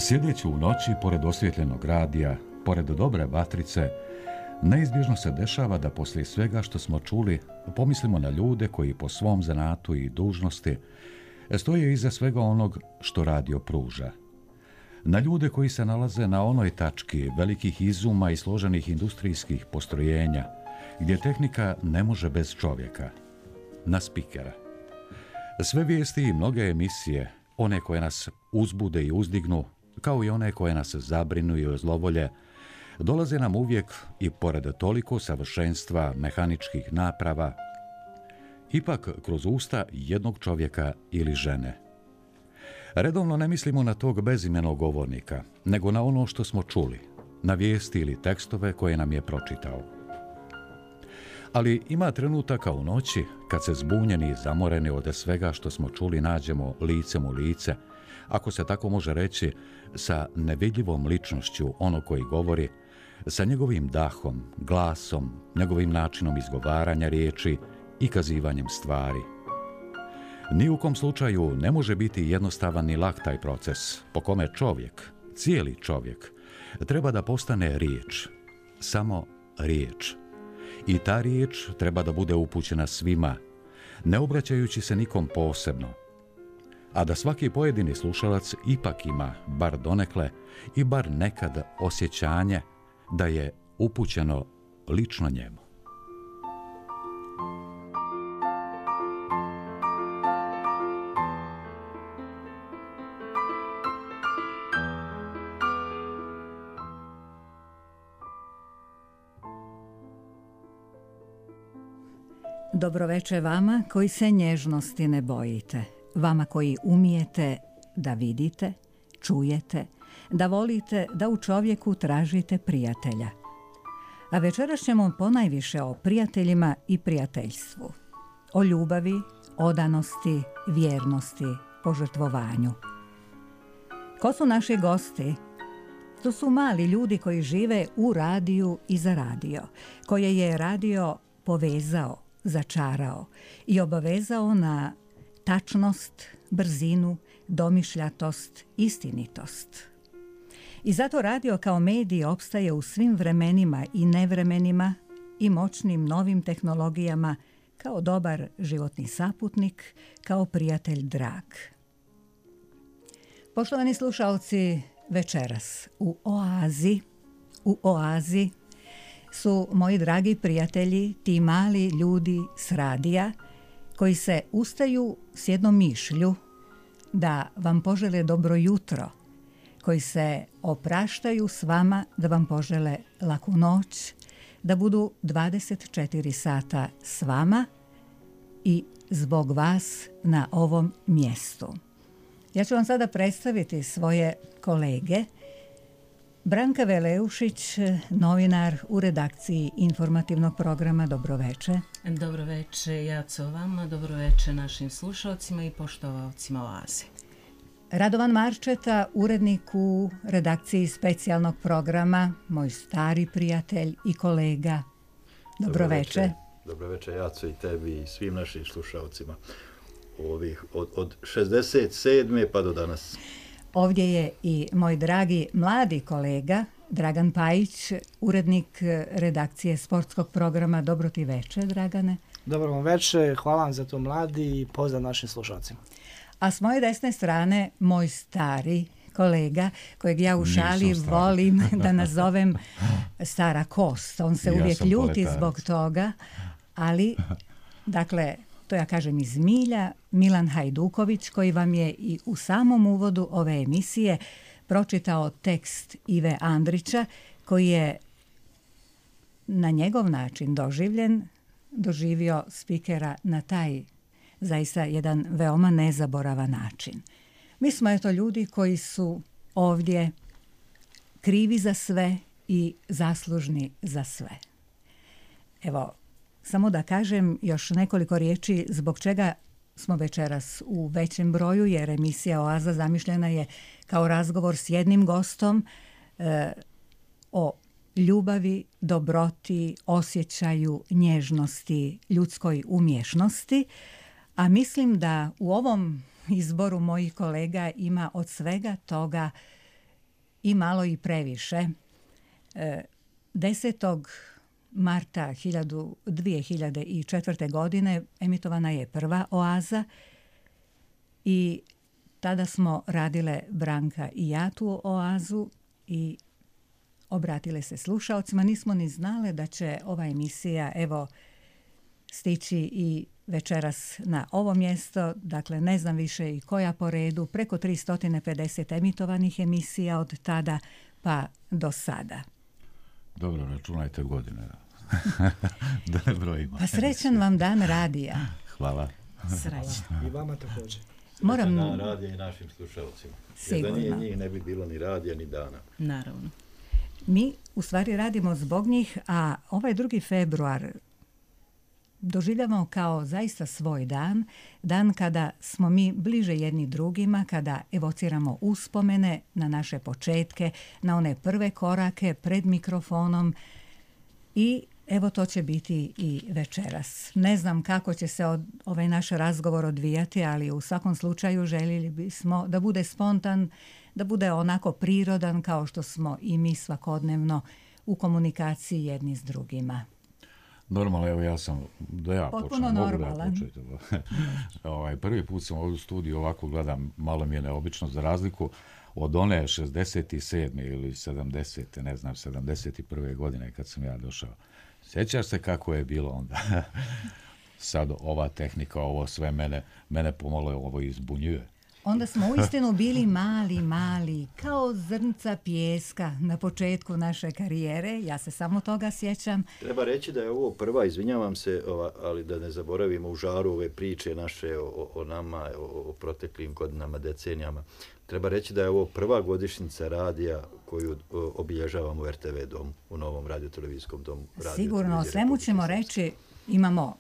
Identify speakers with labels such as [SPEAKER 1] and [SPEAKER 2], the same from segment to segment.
[SPEAKER 1] Sjedeći u noći, pored osvjetljenog radija, pored dobre vatrice, neizbježno se dešava da poslije svega što smo čuli pomislimo na ljude koji po svom zanatu i dužnosti stoje iza svega onog što radio pruža. Na ljude koji se nalaze na onoj tački velikih izuma i složenih industrijskih postrojenja, gdje tehnika ne može bez čovjeka. Na spikera. Sve vijesti i mnoge emisije, one koje nas uzbude i uzdignu, kao i one koje nas zabrinu i ozlovolje, dolaze nam uvijek i pored toliko savršenstva mehaničkih naprava, ipak kroz usta jednog čovjeka ili žene. Redovno ne mislimo na tog bezimenog govornika, nego na ono što smo čuli, na vijesti ili tekstove koje nam je pročitao. Ali ima trenutaka u noći kad se zbunjeni i zamoreni od svega što smo čuli nađemo licem u lice, ako se tako može reći, sa nevidljivom ličnošću onog koji govori, sa njegovim dahom, glasom, njegovim načinom izgovaranja riječi i kazivanjem stvari. Ni u kom slučaju ne može biti jednostavan ni lak taj proces, po kome čovjek, cijeli čovjek, treba da postane riječ, samo riječ. I ta riječ treba da bude upućena svima, ne obraćajući se nikom posebno, a da svaki pojedini slušalac ipak ima, bar donekle i bar nekad osjećanje da je upućeno lično njemu.
[SPEAKER 2] Dobroveče vama koji se nježnosti ne bojite, vama koji umijete da vidite, čujete, da volite da u čovjeku tražite prijatelja. A večeras ćemo ponajviše o prijateljima i prijateljstvu, o ljubavi, odanosti, vjernosti, požrtvovanju. Ko su naši gosti? To su mali ljudi koji žive u radiju i za radio, koje je radio povezao, začarao i obavezao na tačnost, brzinu, domišljatost, istinitost. I zato radio kao medij opstaje u svim vremenima i nevremenima i moćnim novim tehnologijama kao dobar životni saputnik, kao prijatelj drag. Poštovani slušalci, večeras u Oazi su moji dragi prijatelji, ti mali ljudi s radija, koji se ustaju s jednom mišlju da vam požele dobro jutro, koji se opraštaju s vama da vam požele laku noć, da budu 24 sata s vama i zbog vas na ovom mjestu. Ja ću vam sada predstaviti svoje kolege. Branka Veleušić, novinar u redakciji informativnog programa. Dobroveče.
[SPEAKER 3] Dobroveče, Jaco, vama, dobroveče našim slušalcima i poštovalcima Oaze.
[SPEAKER 2] Radovan Marčeta, urednik u redakciji specijalnog programa, moj stari prijatelj i kolega. Dobroveče.
[SPEAKER 4] Dobroveče, Jaco, i tebi i svim našim slušalcima od 67. pa do danas.
[SPEAKER 2] Ovdje je i moj dragi mladi kolega Dragan Pajić, urednik redakcije sportskog programa. Dobro ti veče, Dragane.
[SPEAKER 5] Dobro vam veče, hvala vam za to, mladi, i pozdrav našim slušalcima.
[SPEAKER 2] A s moje desne strane moj stari kolega, kojeg ja u šali volim da nazovem stara kost. On se uvijek ljuti zbog toga, ali, dakle, to ja kažem iz milja, Milan Hajduković, koji vam je i u samom uvodu ove emisije pročitao tekst Ive Andrića, koji je na njegov način doživio spikera na taj zaista jedan veoma nezaboravan način. Mi smo eto ljudi koji su ovdje krivi za sve i zaslužni za sve. Evo, samo da kažem još nekoliko riječi zbog čega smo večeras u većem broju, jer emisija Oaza zamišljena je kao razgovor s jednim gostom o ljubavi, dobroti, osjećaju, nježnosti, ljudskoj umješnosti, a mislim da u ovom izboru mojih kolega ima od svega toga i malo i previše. 10. marta 2004. godine emitovana je prva Oaza i tada smo radile Branka i ja tu Oazu i obratile se slušaocima. Nismo ni znale da će ova emisija stići i večeras na ovo mjesto. Dakle, ne znam više i koja po redu. Preko 350 emitovanih emisija od tada pa do sada.
[SPEAKER 1] Dobro, računajte godine. Da ne brojimo.
[SPEAKER 2] Pa srećan vam dan radija.
[SPEAKER 1] Hvala.
[SPEAKER 2] Srećan.
[SPEAKER 5] I vama također.
[SPEAKER 2] Moram...
[SPEAKER 4] Dan radija i našim slušalcima.
[SPEAKER 2] Sigurno.
[SPEAKER 4] Jer da nije njih ne bi bilo ni radija ni dana.
[SPEAKER 3] Naravno.
[SPEAKER 2] Mi u stvari radimo zbog njih, a ovaj 2. februar doživljavamo kao zaista svoj dan, dan kada smo mi bliže jedni drugima, kada evociramo uspomene na naše početke, na one prve korake pred mikrofonom i evo to će biti i večeras. Ne znam kako će se ovaj naš razgovor odvijati, ali u svakom slučaju željeli bismo da bude spontan, da bude onako prirodan kao što smo i mi svakodnevno u komunikaciji jedni s drugima.
[SPEAKER 1] Normalno, evo ja
[SPEAKER 2] potpuno
[SPEAKER 1] počnem,
[SPEAKER 2] normalan.
[SPEAKER 1] Prvi put sam ovdje u studiju ovako gledam, malo mi je neobično za razliku od one 67. ili 70. ne znam, 71. godine kad sam ja došao. Sjećaš se kako je bilo onda? Sad ova tehnika, ovo sve mene pomalo ovo izbunjuje.
[SPEAKER 2] Onda smo uistinu bili mali, kao zrnca pijeska na početku naše karijere. Ja se samo toga sjećam.
[SPEAKER 4] Treba reći da je ovo prva, izvinjavam se, ali da ne zaboravimo u žaru ove priče naše o nama, o proteklim godinama, decenijama. Treba reći da je ovo prva godišnjica radija koju obilježavamo u RTV domu, u novom radiotelevizijskom domu.
[SPEAKER 2] Sigurno, o svemu ćemo reći, imamo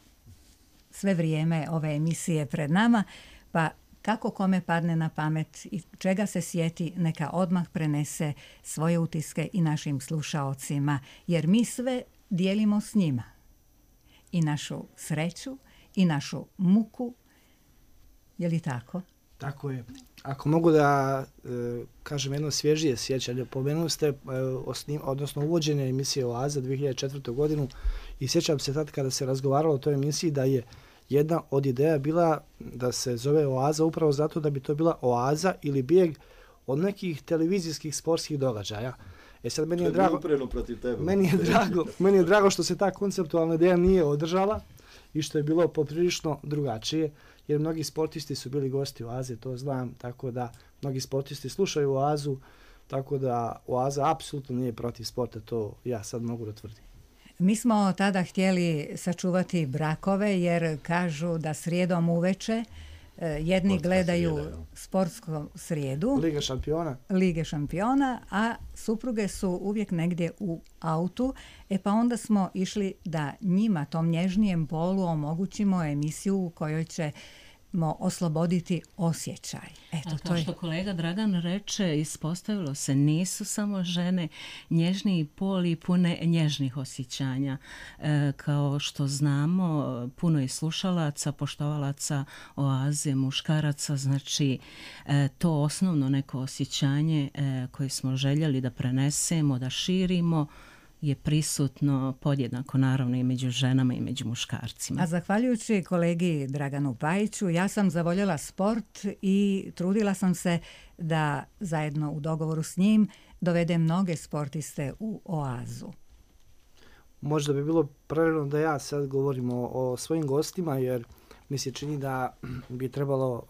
[SPEAKER 2] sve vrijeme ove emisije pred nama, pa kako kome padne na pamet i čega se sjeti, neka odmah prenese svoje utiske i našim slušaocima, jer mi sve dijelimo s njima. I našu sreću, i našu muku. Je li tako?
[SPEAKER 5] Tako je. Ako mogu da kažem jedno svježije sjećanje, pomenuli ste odnosno uvođenje emisije Oaza 2004. godinu i sjećam se tad kada se razgovaralo o toj emisiji da je jedna od ideja bila da se zove Oaza upravo zato da bi to bila oaza ili bijeg od nekih televizijskih sportskih događaja. Sad meni je drago, meni je drago što se ta konceptualna ideja nije održala i što je bilo poprilično drugačije, jer mnogi sportisti su bili gosti Oaze, to znam, tako da mnogi sportisti slušaju Oazu, tako da Oaza apsolutno nije protiv sporta, to ja sad mogu da tvrdim.
[SPEAKER 2] Mi smo tada htjeli sačuvati brakove jer kažu da srijedom uveče jedni gledaju sportsku srijedu, Lige šampiona, a supruge su uvijek negdje u autu, pa onda smo išli da njima, tom nježnijem polu, omogućimo emisiju u kojoj ćemo osloboditi osjećaj.
[SPEAKER 3] Eto, kao što kolega Dragan reče, ispostavilo se, nisu samo žene nježniji pol i pune nježnih osjećanja. Kao što znamo, puno je slušalaca, poštovalaca Oaze, muškaraca, znači to osnovno neko osjećanje koje smo željeli da prenesemo, da širimo, je prisutno podjednako naravno i među ženama i među muškarcima.
[SPEAKER 2] A zahvaljujući kolegi Draganu Pajiću, ja sam zavoljela sport i trudila sam se da zajedno u dogovoru s njim dovedem mnoge sportiste u Oazu.
[SPEAKER 5] Možda bi bilo pravilno da ja sad govorim o svojim gostima, jer mi se čini da bi trebalo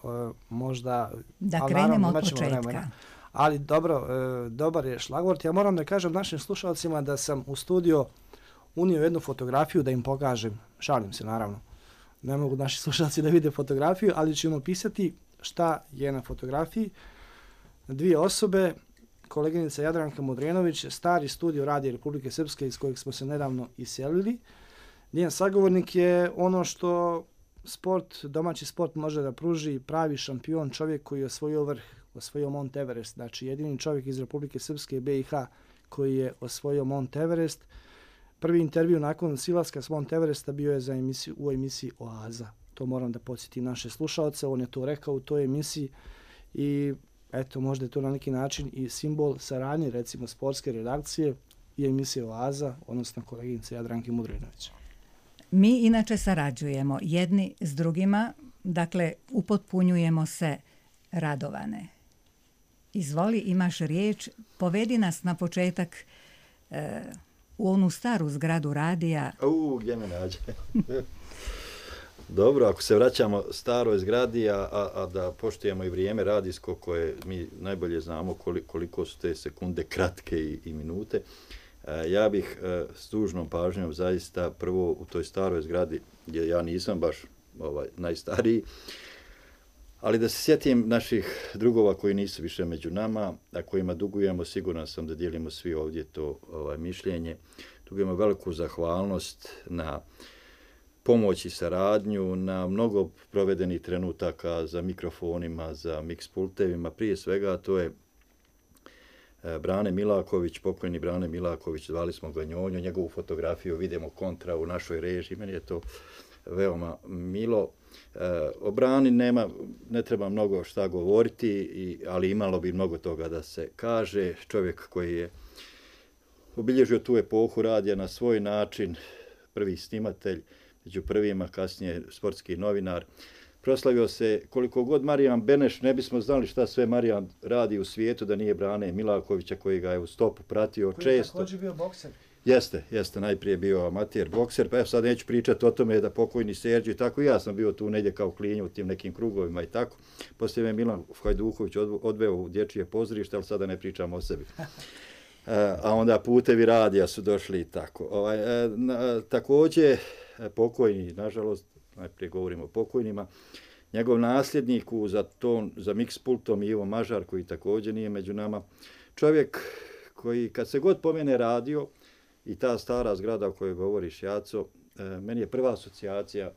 [SPEAKER 5] možda...
[SPEAKER 2] Da krenemo od početka.
[SPEAKER 5] Ali dobro, dobar je šlagvort. Ja moram da kažem našim slušalcima da sam u studio unio jednu fotografiju da im pokažem. Šalim se, naravno. Ne mogu naši slušalci da vide fotografiju, ali ćemo pisati šta je na fotografiji. Dvije osobe, koleginica Jadranka Modrenović, stari studio Radija Republike Srpske iz kojeg smo se nedavno iselili. Njen sagovornik je ono što domaći sport može da pruži, pravi šampion, čovjek koji je osvojio vrh, osvojio Mont Everest, znači jedini čovjek iz Republike Srpske i BiH koji je osvojio Mont Everest. Prvi intervju nakon silaska s Mont Everesta bio je u emisiji Oaza. To moram da podsjetim naše slušalce, on je to rekao u toj emisiji i eto, možda je to na neki način i simbol saradnje, recimo, sportske redakcije i emisije Oaza, odnosno koleginice Jadranke Mudrinović.
[SPEAKER 2] Mi inače sarađujemo jedni s drugima, dakle, upotpunjujemo se, Radovane. Izvoli, imaš riječ, povedi nas na početak u onu staru zgradu radija.
[SPEAKER 4] Gdje me nađe? Dobro, ako se vraćamo staroj zgradi, a da poštujemo i vrijeme radijsko koje mi najbolje znamo koliko su te sekunde kratke i minute, ja bih s dužnom pažnjom zaista prvo u toj staroj zgradi, gdje ja nisam baš najstariji, ali da se sjetim naših drugova koji nisu više među nama, a kojima dugujemo, siguran sam da dijelimo svi ovdje to mišljenje. Dugujemo veliku zahvalnost na pomoć i saradnju, na mnogo provedenih trenutaka za mikrofonima, za mix pultevima. Prije svega to je Brane Milaković, pokojni Brane Milaković, zvali smo ga Njonjo, njegovu fotografiju vidimo kontra u našoj režiji, meni je to veoma milo. O Brani ne treba mnogo šta govoriti, ali imalo bi mnogo toga da se kaže. Čovjek koji je obilježio tu epohu radija na svoj način, prvi snimatelj, među prvima, kasnije sportski novinar. Proslavio se koliko god Marijan Beneš, ne bismo znali šta sve Marijan radi u svijetu da nije Brane Milakovića koji ga je u stopu pratio
[SPEAKER 5] koji
[SPEAKER 4] često.
[SPEAKER 5] Koji je također bio bokser.
[SPEAKER 4] Jeste, najprije bio amater bokser, pa sad neću pričati o tome da pokojni Serđe i tako, ja sam bio tu negdje kao klinja u tim nekim krugovima i tako. Poslije me Milan Hajduković odveo u dječje pozorište, ali sada ne pričam o sebi. A onda putevi radija su došli i tako. Također, pokojni, nažalost, najprije govorimo o pokojnima, njegov nasljednik za mix pultom Ivo Mažar, koji također nije među nama, čovjek koji kad se god pomene radio i ta stara zgrada o kojoj govoriš, Jaco, meni je prva asocijacija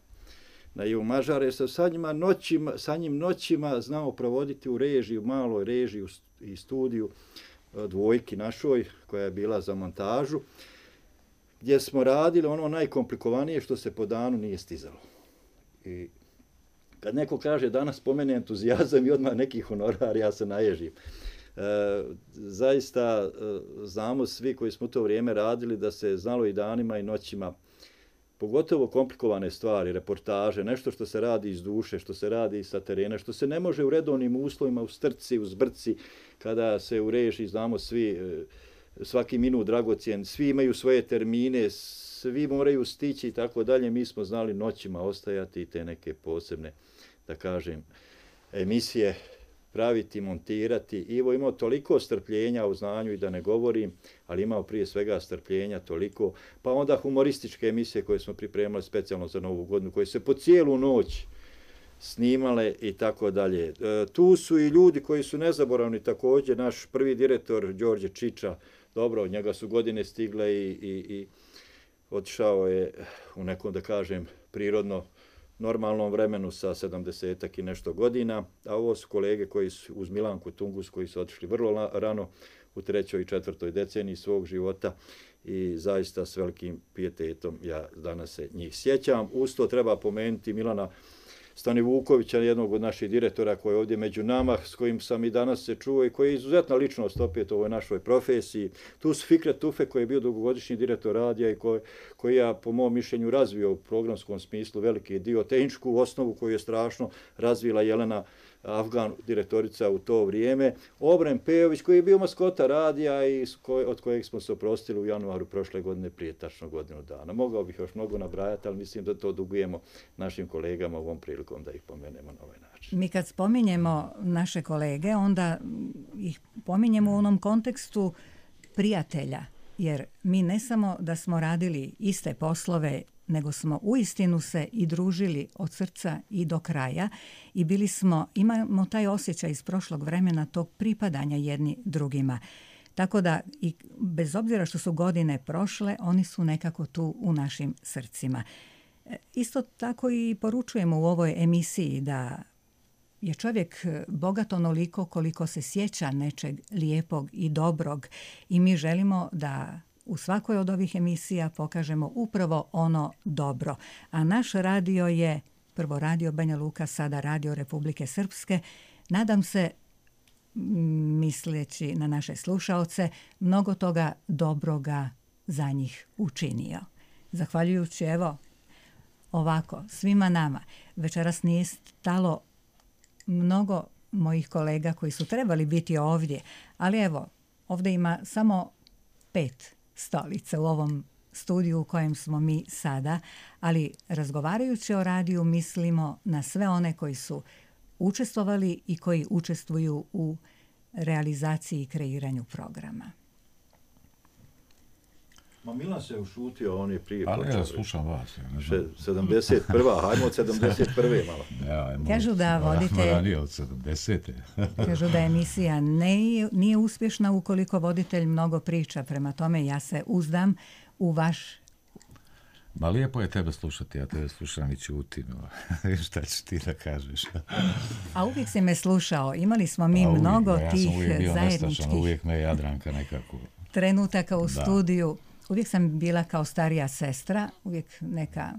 [SPEAKER 4] na Ivo Mažar, jer sam sa njim noćima znao provoditi u režiji, u maloj režiji i studiju dvojki našoj, koja je bila za montažu, gdje smo radili ono najkomplikovanije što se po danu nije stizalo. I kad neko kaže danas spomene entuzijazam i odmah neki honorar, ja se naježim. Zaista znamo svi koji smo u to vrijeme radili da se znalo i danima i noćima, pogotovo komplikovane stvari, reportaže, nešto što se radi iz duše, što se radi sa terena, što se ne može u redovnim uslovima, u strci, u zbrci, kada se u režiji, znamo svi, svaki minut dragocjen, svi imaju svoje termine, svi moraju stići i tako dalje. Mi smo znali noćima ostajati i te neke posebne, da kažem, emisije praviti, montirati. Ivo imao toliko strpljenja u znanju i da ne govorim, ali imao prije svega strpljenja toliko. Pa onda humorističke emisije koje smo pripremali specijalno za Novu godinu, koje se po cijelu noć snimale i tako dalje. Tu su i ljudi koji su nezaboravni također. Naš prvi direktor Đorđe Čiča, dobro, od njega su godine stigle i otišao je u nekom, da kažem, prirodno normalnom vremenu sa 70-ak i nešto godina, a ovo su kolege koji su uz Milanku Tungus koji su otišli vrlo rano u 3. i 4. deceniji svog života i zaista s velikim pijetetom ja danas se njih sjećam. Uz to treba pomenuti Milana Stanivukovića, jednog od naših direktora koji je ovdje među nama, s kojim sam i danas se čuo i koji je izuzetna ličnost opet u ovoj našoj profesiji. Tu su Fikret Tufe koji je bio dugogodišnji direktor radija i koji ja po mom mišljenju razvio u programskom smislu veliki dio, tehničku osnovu koju je strašno razvila Jelena Afgan, direktorica u to vrijeme. Obren Pejović koji je bio maskota radija i od kojeg smo se oprostili u januaru prošle godine prije tačno godinu dana. Mogao bih još mnogo nabrajati, ali mislim da to dugujemo našim kolegama ovom prilikom da ih pomenemo na ovaj način.
[SPEAKER 2] Mi kad spominjemo naše kolege, onda ih pominjemo u onom kontekstu prijatelja, jer mi ne samo da smo radili iste poslove, nego smo uistinu se i družili od srca i do kraja i imamo taj osjećaj iz prošlog vremena tog pripadanja jedni drugima. Tako da, i bez obzira što su godine prošle, oni su nekako tu u našim srcima. Isto tako i poručujemo u ovoj emisiji da je čovjek bogat onoliko koliko se sjeća nečeg lijepog i dobrog i mi želimo da u svakoj od ovih emisija pokažemo upravo ono dobro. A naš radio je prvo Radio Banja Luka, sada Radio Republike Srpske. Nadam se misleći na naše slušaoce, mnogo toga dobroga za njih učinio. Zahvaljujući, evo, ovako, svima nama, večeras nije stalo mnogo mojih kolega koji su trebali biti ovdje, ali evo, ovdje ima samo 5 stolica u ovom studiju u kojem smo mi sada, ali razgovarajući o radiju mislimo na sve one koji su učestvovali i koji učestvuju u realizaciji i kreiranju programa.
[SPEAKER 4] Ma Milan se ušutio, on je prije
[SPEAKER 1] počeo. Ali ja slušam vas.
[SPEAKER 4] 71. Hajmo od 71. malo.
[SPEAKER 2] Kažu da vodite...
[SPEAKER 1] Ranije od 70.
[SPEAKER 2] Kažu da emisija nije uspješna ukoliko voditelj mnogo priča. Prema tome ja se uzdam u vaš...
[SPEAKER 1] Ma lijepo je tebe slušati, ja tebe slušam i ćutim. Šta ćeš ti da kažeš?
[SPEAKER 2] A uvijek si me slušao. Imali smo mi mnogo tih zajedničkih...
[SPEAKER 1] Uvijek me Jadranka nekako...
[SPEAKER 2] trenutaka u studiju. Uvijek sam bila kao starija sestra, uvijek neka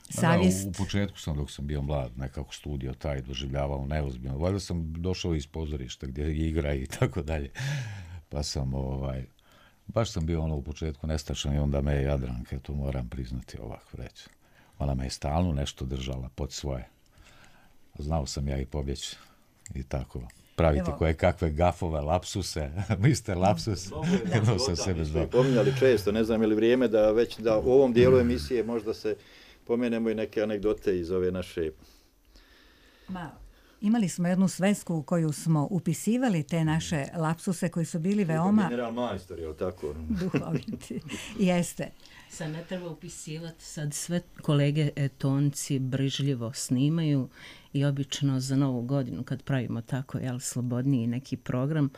[SPEAKER 2] savjest.
[SPEAKER 1] U početku sam, dok sam bio mlad, nekako studio taj doživljavao neozbiljno. Valjda sam došao iz pozorišta gdje igra i tako dalje. Pa sam, baš sam bio u početku nestačan i onda me je Jadranka, to moram priznati ovako reći. Ona me je stalno nešto držala pod svoje. Znao sam ja i pobjeći i tako. Praviti koje kakve gafove, lapsuse, mister lapsus, jedno sam sebe zvao.
[SPEAKER 4] Pominjali često, ne znam je li vrijeme da već da u ovom dijelu emisije možda se pomenemo i neke anegdote iz ove naše...
[SPEAKER 2] Imali smo jednu svesku u koju smo upisivali te naše lapsuse koji su bili veoma...
[SPEAKER 4] General majstor, je li tako?
[SPEAKER 2] Duhoviti. Jeste.
[SPEAKER 3] Sad ne treba upisivati, sad sve kolege tonci brižljivo snimaju i obično za Novu godinu kad pravimo tako slobodniji neki program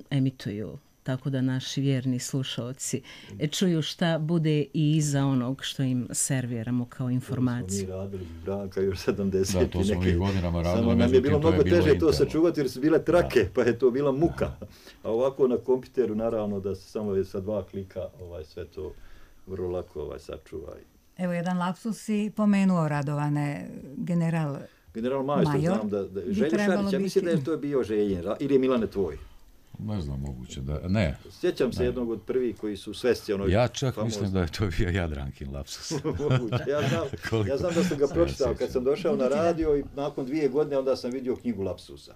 [SPEAKER 3] emituju, tako da naši vjerni slušaoci čuju šta bude i iza onog što im serviramo kao informaciju.
[SPEAKER 4] To smo mi radili, Branka, još 70.
[SPEAKER 1] Da, to smo mi godinama radili.
[SPEAKER 4] Samo nam je bilo mnogo teže to sačuvati jer su bile trake, pa je to bila muka. A ovako na kompjuteru, naravno, da se samo sa 2 klika sve to vrlo lako sačuva.
[SPEAKER 2] Evo, jedan lapsus si pomenuo, Radovane, general
[SPEAKER 4] majstor, znam da Željo Šarić, ja mislim da je to bio Željin, ili je Milane tvoj?
[SPEAKER 1] Ne znam, moguće da, ne.
[SPEAKER 4] Sjećam se jednog od prvih koji su svesti onoj...
[SPEAKER 1] Ja čak mislim da je to bio Jadrankin lapsus.
[SPEAKER 4] Ja znam da sam ga pročitao kad sam došao na radio i nakon 2 godine onda sam vidio knjigu lapsusa.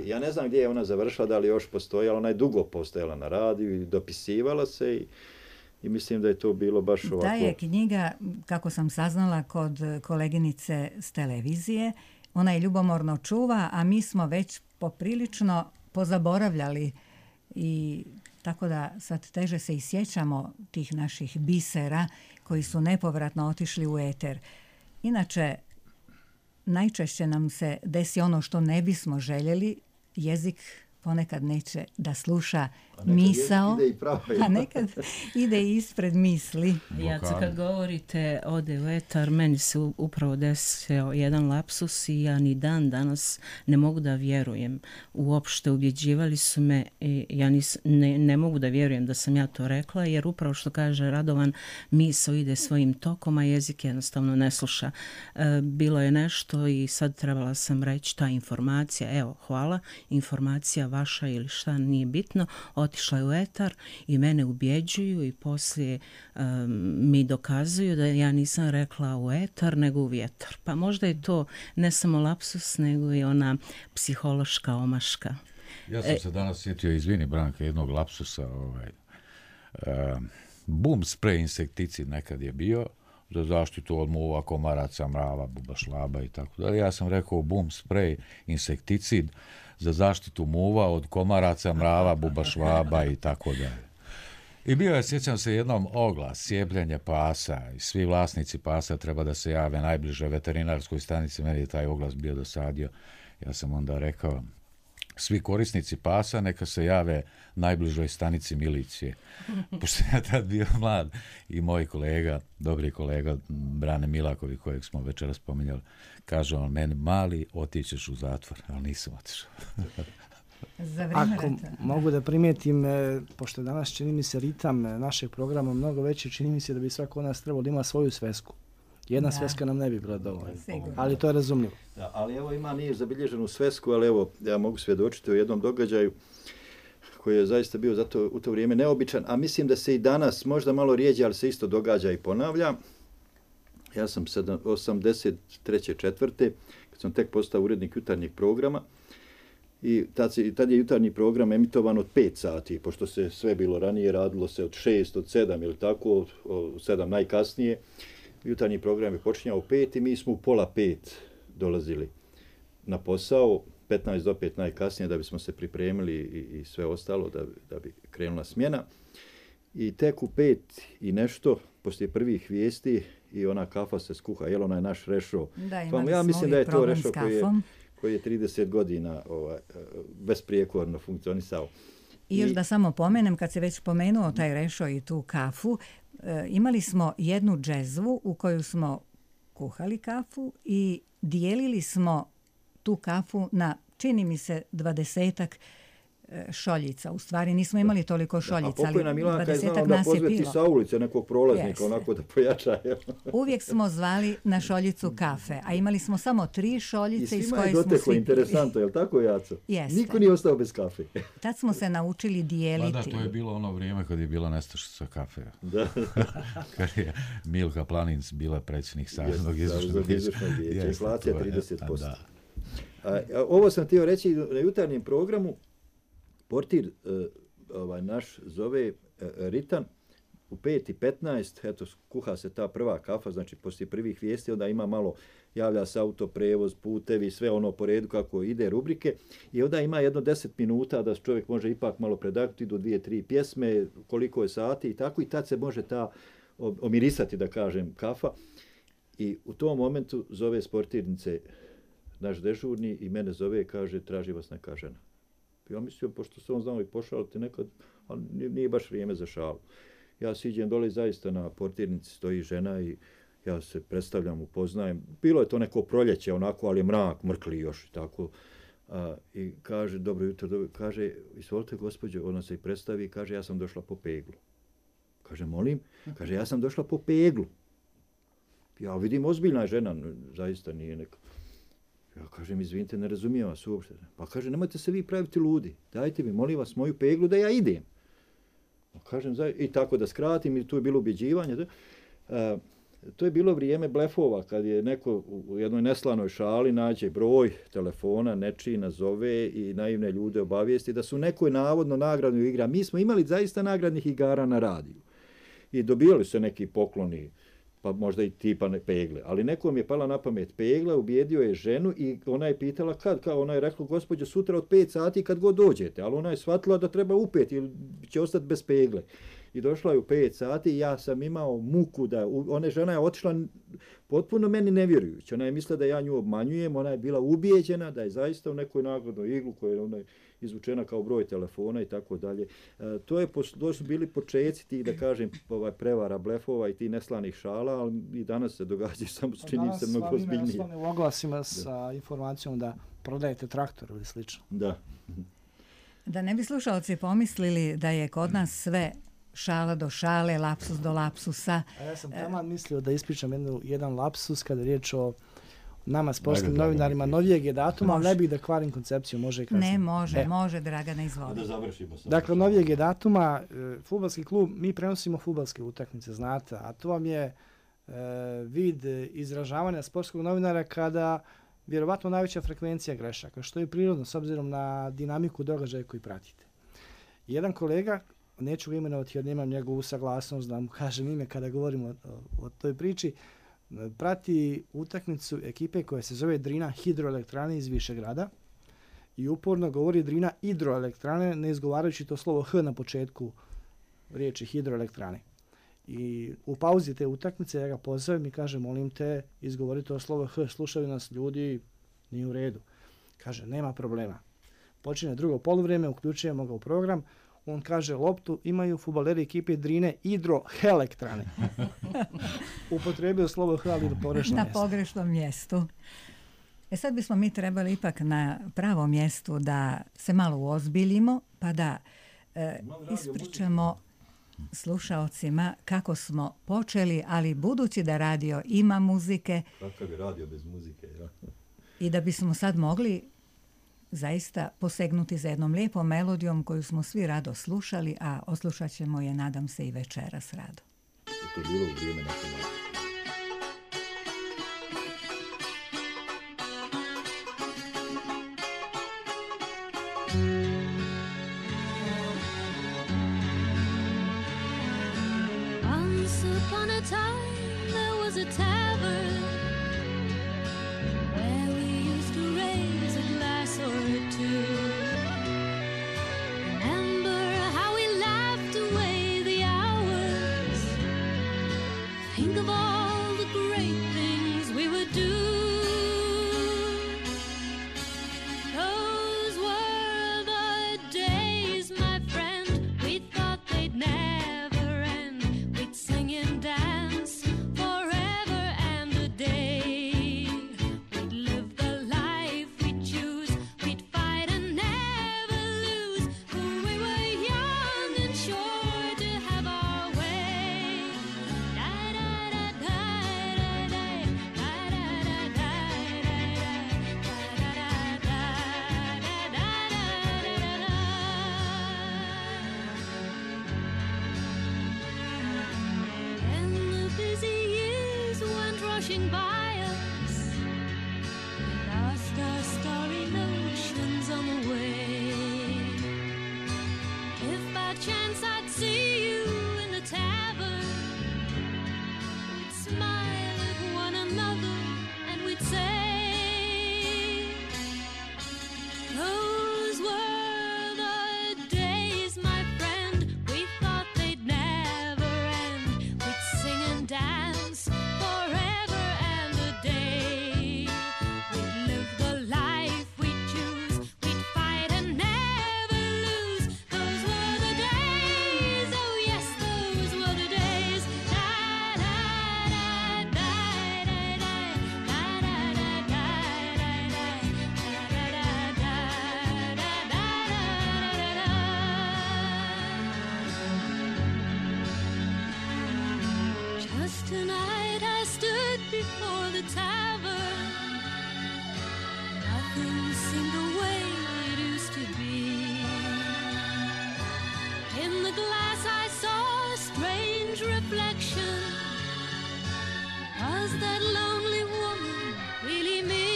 [SPEAKER 4] I ja ne znam gdje je ona završila, da li još postojala, ona je dugo postojala na radiju i dopisivala se i mislim da je to bilo baš ovako...
[SPEAKER 2] Ta je knjiga, kako sam saznala, kod koleginice s televizije. Ona je ljubomorno čuva, a mi smo već poprilično pozaboravljali i tako da sad teže se i sjećamo tih naših bisera koji su nepovratno otišli u eter. Inače, najčešće nam se desi ono što ne bismo željeli, jezik ponekad neće da sluša misao, a nekad ide ispred misli.
[SPEAKER 3] Jace, kad govorite ode u etar, meni se upravo desio jedan lapsus i ja ni dan danas ne mogu da vjerujem. Uopšte ubjeđivali su me i ja ne mogu da vjerujem da sam ja to rekla, jer upravo što kaže Radovan, misao ide svojim tokom, a jezik jednostavno ne sluša. Bilo je nešto i sad trebala sam reći ta informacija, evo, hvala, informacija vaša ili šta, nije bitno, otišla je u etar i mene ubjeđuju i poslije mi dokazuju da ja nisam rekla u etar nego u vjetar. Pa možda je to ne samo lapsus nego i ona psihološka omaška.
[SPEAKER 1] Ja sam se danas sjetio, izvini Branka, jednog lapsusa. Boom spray insekticid nekad je bio za zaštitu od muva, komaraca, mrava, bubašlaba i tako dalje. Ja sam rekao boom spray insekticid za zaštitu muva od komaraca, mrava, bubašvaba i tako dalje. I bio je, sjećam se, jednom oglas, sjebljenje pasa i svi vlasnici pasa treba da se jave najbliže veterinarskoj stanici. Meni je taj oglas bio dosadio. Ja sam onda rekao, svi korisnici pasa neka se jave najbližoj stanici milicije. Pošto ja tad bio mlad i moj kolega, dobri kolega Brane Milakovi, kojeg smo večeras spominjali, kaže on, meni mali, otićeš u zatvor, ali nisam otišao.
[SPEAKER 5] Ako mogu da primijetim, pošto danas čini mi se ritam našeg programa mnogo veći, čini mi se da bi svako od nas trebalo da ima svoju svesku. Jedna sveska nam ne bi bila dovoljna, ali to je razumljivo.
[SPEAKER 4] Da, ali evo nije zabilježenu svesku, ali evo ja mogu svjedočiti o jednom događaju koji je zaista bio zato u to vrijeme neobičan, a mislim da se i danas možda malo rijeđe, ali se isto događa i ponavlja. Ja sam 83. kad sam tek postao urednik jutarnjeg programa i tad je jutarnji program emitovan od 5 sati, pošto se sve bilo ranije, radilo se od 6, od 7 ili tako, od 7 najkasnije. Jutarnji program je počinjao u 5 i mi smo u 4:30 dolazili na posao, 15 do 5 najkasnije da bismo se pripremili i sve ostalo da bi krenula smjena. I tek u 5 i nešto, poslije prvih vijesti i ona kafa se skuha, jel onaj naš rešo. Ja mislim da je to rešo koji je 30 godina besprijekorno funkcionisao.
[SPEAKER 2] I još da samo pomenem, kad se već pomenuo taj rešo i tu kafu, imali smo jednu džezvu u koju smo kuhali kafu i dijelili smo tu kafu na, čini mi se, 20-ak šoljica. U stvari nismo imali toliko šoljica, ali 20-ak nas je pilo.
[SPEAKER 4] Sa ulice nekog prolaznika, onako da pojača.
[SPEAKER 2] Uvijek smo zvali na šoljicu kafe, a imali smo samo 3 šoljice iz koje smo svi...
[SPEAKER 4] I svima je doteklo, interesantno, je li tako, Jaco?
[SPEAKER 2] Jeste.
[SPEAKER 4] Niko nije ostao bez kafe.
[SPEAKER 2] Tad smo se naučili dijeliti.
[SPEAKER 1] Da, to je bilo ono vrijeme kad je bila nestašica kafe.
[SPEAKER 4] Da.
[SPEAKER 1] Kad je Milka Planinc bila predsjednik Saveznog izvršnog vijeća.
[SPEAKER 4] Inflacija 30%. Ovo sam htio reći na jutarnjem programu. Portir naš zove Ritan u 5:15, eto, kuha se ta prva kafa, znači poslije prvih vijesti, onda ima malo, javlja se autoprevoz, putevi, sve ono po redu kako ide rubrike i onda ima jedno 10 minuta da čovjek može ipak malo predaknuti do 2-3 pjesme, koliko je sati i tako, i tad se može ta omirisati, da kažem, kafa. I u tom momentu zove s portirnice naš dežurni i mene zove i kaže, traži vas neka žena. Ja mislim, pošto se on znao i pošaliti nekad, ali nije baš vrijeme za šalu. Ja siđem dole i zaista na portirnici stoji žena i ja se predstavljam, upoznajem. Bilo je to neko proljeće onako, ali je mrak, mrkli još i tako. I kaže, dobro jutro, kaže, izvolite gospođo, ona se i predstavi i kaže, ja sam došla po peglu. Kaže, molim? Kaže, ja sam došla po peglu. Ja vidim, ozbiljna žena, zaista nije neka. Ja kažem, izvinite, ne razumijem vas uopšte. Pa kaže, nemojte se vi praviti ludi. Dajte mi, molim vas, moju peglu da ja idem. Kažem, i tako da skratim, i tu je bilo ubjeđivanje. To je bilo vrijeme blefova, kad je neko u jednoj neslanoj šali nađe broj telefona, nečiji nazove i naivne ljude obavijesti da su nekoj navodno nagradnoj igra. Mi smo imali zaista nagradnih igara na radiju. I dobijali se neki pokloni, pa možda i tipa pegle. Ali nekom je pala na pamet pegla, ubijedio je ženu i ona je pitala kad, ona je rekla, gospođo, sutra od 5 sati kad god dođete, ali ona je shvatila da treba u 5 ili će ostati bez pegle. I došla je u 5 sati i ja sam imao muku da, žena je otišla potpuno meni nevjerujući. Ona je mislila da ja nju obmanjujem, ona je bila ubijeđena da je zaista u nekoj nagradnoj iglu koja je izvučena kao broj telefona i tako dalje. To su bili počeci tih, da kažem, prevara, blefova i tih neslanih šala, ali i danas se događaju, samo čini se mnogo ozbiljnije.
[SPEAKER 5] Danas vam je u oglasima sa informacijom da prodajete traktor ili slično.
[SPEAKER 4] Da.
[SPEAKER 2] Da ne bi slušalci pomislili da je kod nas sve šala do šale, lapsus do lapsusa.
[SPEAKER 5] A ja sam taman mislio da ispričam jedan lapsus kada je riječ o nama sportskim novinarima novijeg je datuma, ali ne bih da kvarim koncepciju, može i kasnije.
[SPEAKER 2] Ne, može, Dragana, izvoli.
[SPEAKER 4] Da završimo.
[SPEAKER 5] Dakle, novijeg je datuma, fudbalski klub, mi prenosimo fudbalske utakmice, znate, a to vam je vid izražavanja sportskog novinara kada vjerovatno najveća frekvencija grešaka, što je prirodno s obzirom na dinamiku događaja koji pratite. Jedan kolega, neću ga imenovati jer nemam njegovu saglasnost da mu kažem ime kada govorimo o toj priči, prati utakmicu ekipe koja se zove Drina hidroelektrane iz Višegrada i uporno govori Drina hidroelektrane, ne izgovarajući to slovo H na početku riječi hidroelektrane. I u pauzi te utakmice ja ga pozovem i kažem, molim te, izgovori to slovo H, slušaju nas ljudi, nije u redu. Kaže, nema problema. Počinje drugo poluvrijeme, uključujemo ga u program, on kaže, loptu imaju fudbaleri ekipe Drine hidroelektrane. Upotrebio slovo H, ali
[SPEAKER 2] na pogrešnom mjestu. Sad bismo mi trebali ipak na pravom mjestu da se malo uozbiljimo, pa da ispričamo slušaocima kako smo počeli, ali budući da radio ima muzike...
[SPEAKER 4] Kakav je radio bez muzike, ja?
[SPEAKER 2] I da bismo sad mogli zaista posegnuti za jednom lijepom melodijom koju smo svi rado slušali, a oslušat ćemo je, nadam se, i večeras rado.
[SPEAKER 4] To je bilo u vrijeme nacionalno.
[SPEAKER 6] Once upon a time there was a tavern where we used to raise a glass or two. Remember how we laughed away the hours. Think of all the great things we would do. Those were the days, my friend, we thought they'd never end. We'd sing and dance forever and a day. We'd live the life we'd choose. We'd fight and never lose. For we were young and sure to have our way. And the busy years went rushing by us. We lost our starry notions on the way. If by chance I'd see you in the tavern, we'd smile at one another and we'd say, those were the days, my friend, we thought they'd never end. We'd sing and dance forever and a day. We'd live the life we'd choose. We'd fight and never lose. Those were the days, oh yes, those were the days. Just tonight I stood before the tavern. Nothing seemed the way it used to be. In the glass I saw a strange reflection. Was that lonely woman really me?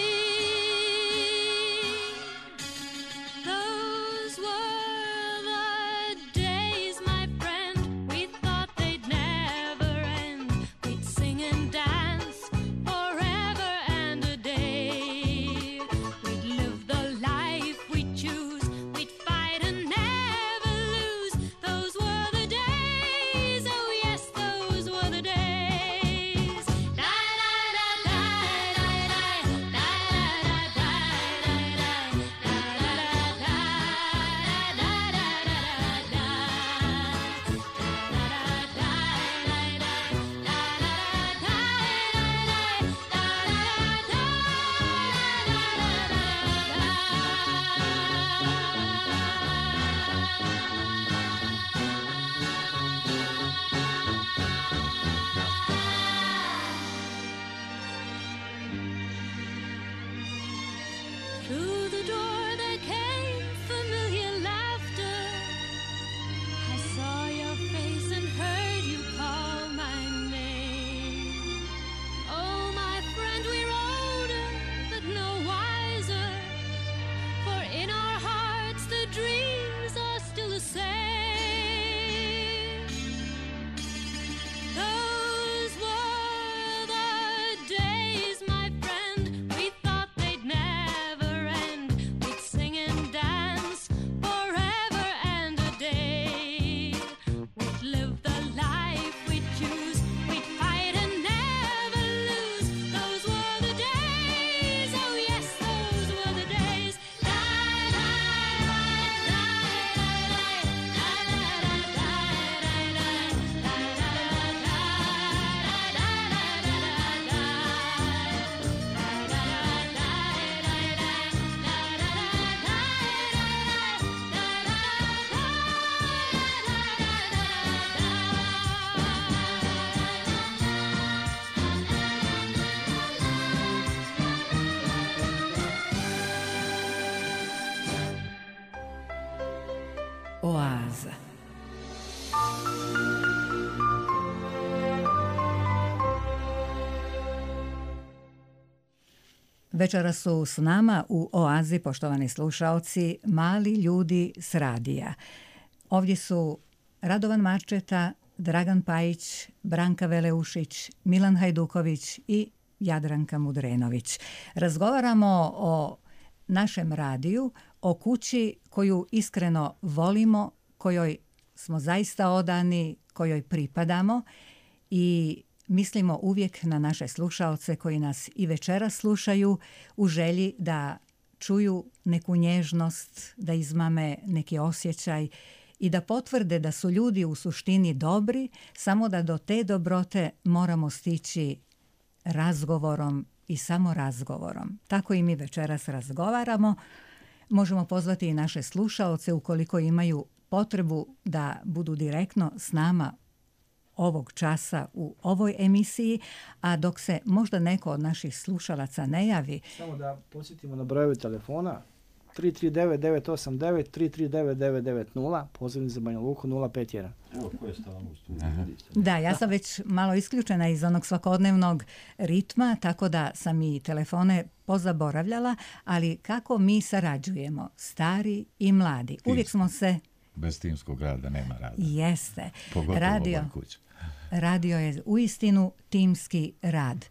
[SPEAKER 6] Those were the days, my friend, we thought they'd never end. We'd sing and dance forever
[SPEAKER 2] Oaza. Večeras su s nama u Oazi, poštovani slušaoci, mali ljudi s radija. Ovdje su Radovan Marčeta, Dragan Pajić, Branka Veleušić, Milan Hajduković i Jadranka Mudrenović. Razgovaramo o našem radiju, o kući koju iskreno volimo, kojoj smo zaista odani, kojoj pripadamo i mislimo uvijek na naše slušaoce koji nas i večeras slušaju u želji da čuju neku nježnost, da izmame neki osjećaj i da potvrde da su ljudi u suštini dobri, samo da do te dobrote moramo stići razgovorom i samo razgovorom. Tako i mi večeras razgovaramo. Možemo pozvati i naše slušaoce ukoliko imaju potrebu da budu direktno s nama ovog časa u ovoj emisiji, a dok se možda neko od naših slušalaca ne javi.
[SPEAKER 5] Samo da posjetimo na brojeve telefona 339-989, 339-990, pozivni za Banja Luku 051.
[SPEAKER 4] Evo, ko je stalno u studiju?
[SPEAKER 2] Da, ja sam već malo isključena iz onog svakodnevnog ritma, tako da sam i telefone pozaboravljala, ali kako mi sarađujemo, stari i mladi. Uvijek smo se...
[SPEAKER 1] Bez timskog rada nema rada.
[SPEAKER 2] Jeste.
[SPEAKER 1] Pogotovo
[SPEAKER 2] Radio,
[SPEAKER 1] ovoj kući.
[SPEAKER 2] radio je uistinu timski rad.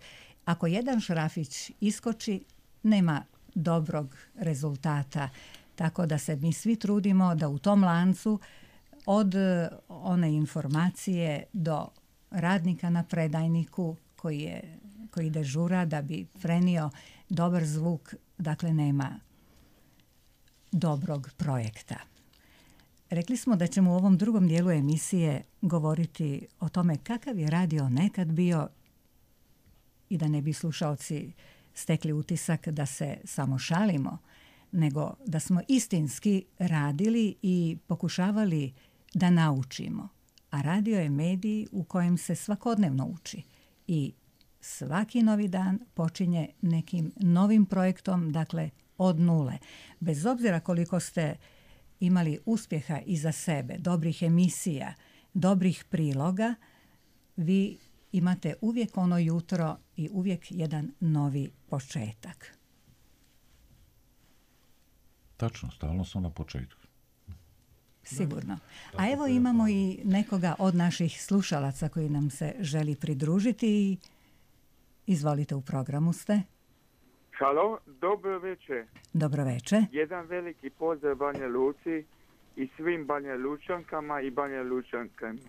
[SPEAKER 2] Ako jedan šrafić iskoči, nema dobrog rezultata. Tako da se mi svi trudimo da u tom lancu od one informacije do radnika na predajniku koji dežura da bi prenio dobar zvuk, dakle nema dobrog projekta. Rekli smo da ćemo u ovom drugom dijelu emisije govoriti o tome kakav je radio nekad bio i da ne bi slušaoci stekli utisak da se samo šalimo, nego da smo istinski radili i pokušavali da naučimo. A radio je medij u kojem se svakodnevno uči i svaki novi dan počinje nekim novim projektom, dakle od nule. Bez obzira koliko ste imali uspjeha iza sebe, dobrih emisija, dobrih priloga, vi imate uvijek ono jutro i uvijek jedan novi početak.
[SPEAKER 1] Tačno, stalno smo na početku.
[SPEAKER 2] Sigurno. A evo imamo i nekoga od naših slušalaca koji nam se želi pridružiti i izvolite, u programu ste.
[SPEAKER 7] Halo, dobro večer.
[SPEAKER 2] Dobro večer.
[SPEAKER 7] Jedan veliki pozdrav Banja Luci i svim Banja Lučankama i Banja Lučankama.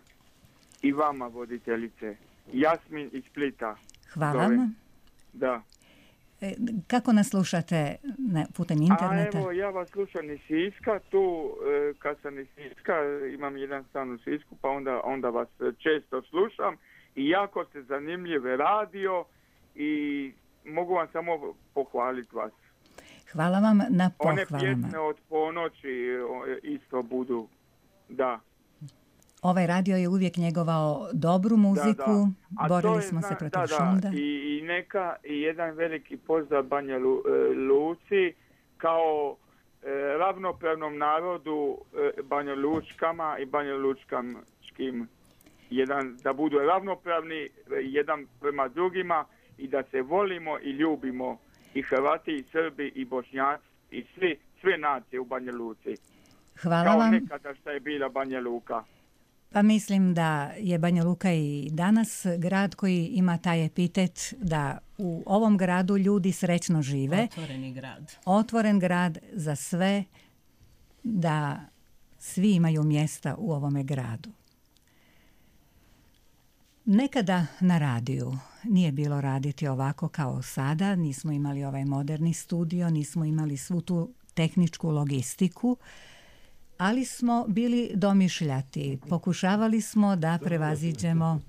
[SPEAKER 7] I vama, voditeljice. Jasmin iz Splita.
[SPEAKER 2] Hvala vam.
[SPEAKER 7] Da.
[SPEAKER 2] Kako nas slušate putem interneta?
[SPEAKER 7] A evo, ja vas slušam iz Siska. Tu, kad sam iz Siska, imam jedan stan u Sisku, pa onda vas često slušam. I jako ste zanimljiv radio i mogu vam samo pohvaliti vas.
[SPEAKER 2] Hvala vam na pohvalama.
[SPEAKER 7] One pjesme od ponoći isto budu, da.
[SPEAKER 2] Ovaj radio je uvijek njegovao dobru muziku, borili smo se protiv šunda.
[SPEAKER 7] I neka i jedan veliki pozdrav Banja Luci kao ravnopravnom narodu Banja Lučkama i Banja Lučkanskim. Da budu ravnopravni jedan prema drugima i da se volimo i ljubimo i Hrvati i Srbi i Bošnjaci i sve nacije u Banja Luci.
[SPEAKER 2] Hvala
[SPEAKER 7] kao
[SPEAKER 2] vam.
[SPEAKER 7] Nekada što je bila Banja Luka.
[SPEAKER 2] Pa mislim da je Banja Luka i danas grad koji ima taj epitet da u ovom gradu ljudi srećno žive.
[SPEAKER 3] Otvoreni grad.
[SPEAKER 2] Otvoren grad za sve, da svi imaju mjesta u ovome gradu. Nekada na radiju nije bilo raditi ovako kao sada, nismo imali ovaj moderni studio, nismo imali svu tu tehničku logistiku, ali smo bili domišljati. Pokušavali smo da prevaziđemo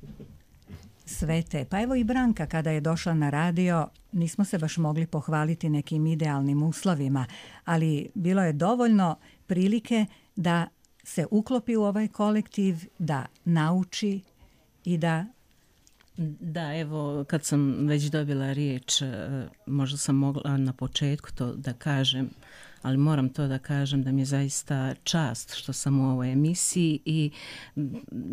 [SPEAKER 2] sve te. Pa evo i Branka kada je došla na radio, nismo se baš mogli pohvaliti nekim idealnim uslovima, ali bilo je dovoljno prilike da se uklopi u ovaj kolektiv, da nauči i da...
[SPEAKER 3] Da, evo, kad sam već dobila riječ, možda sam mogla na početku to da kažem, ali moram to da kažem da mi je zaista čast što sam u ovoj emisiji i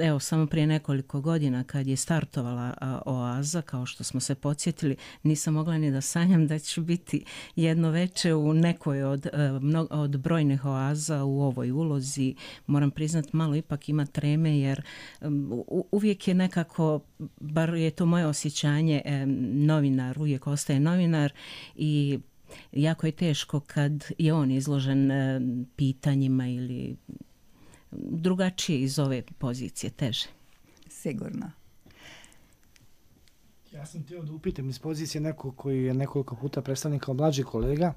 [SPEAKER 3] evo samo prije nekoliko godina kad je startovala Oaza, kao što smo se podsjetili, nisam mogla ni da sanjam da ću biti jedno veče u nekoj od brojnih oaza u ovoj ulozi. Moram priznati, malo ipak ima treme jer uvijek je nekako, bar je to moje osjećanje, novinar uvijek ostaje novinar i jako je teško kad je on izložen pitanjima ili drugačije iz ove pozicije, teže.
[SPEAKER 2] Sigurno.
[SPEAKER 5] Ja sam htio da upitam iz pozicije nekog koji je nekoliko puta predstavljen kao mlađi kolega,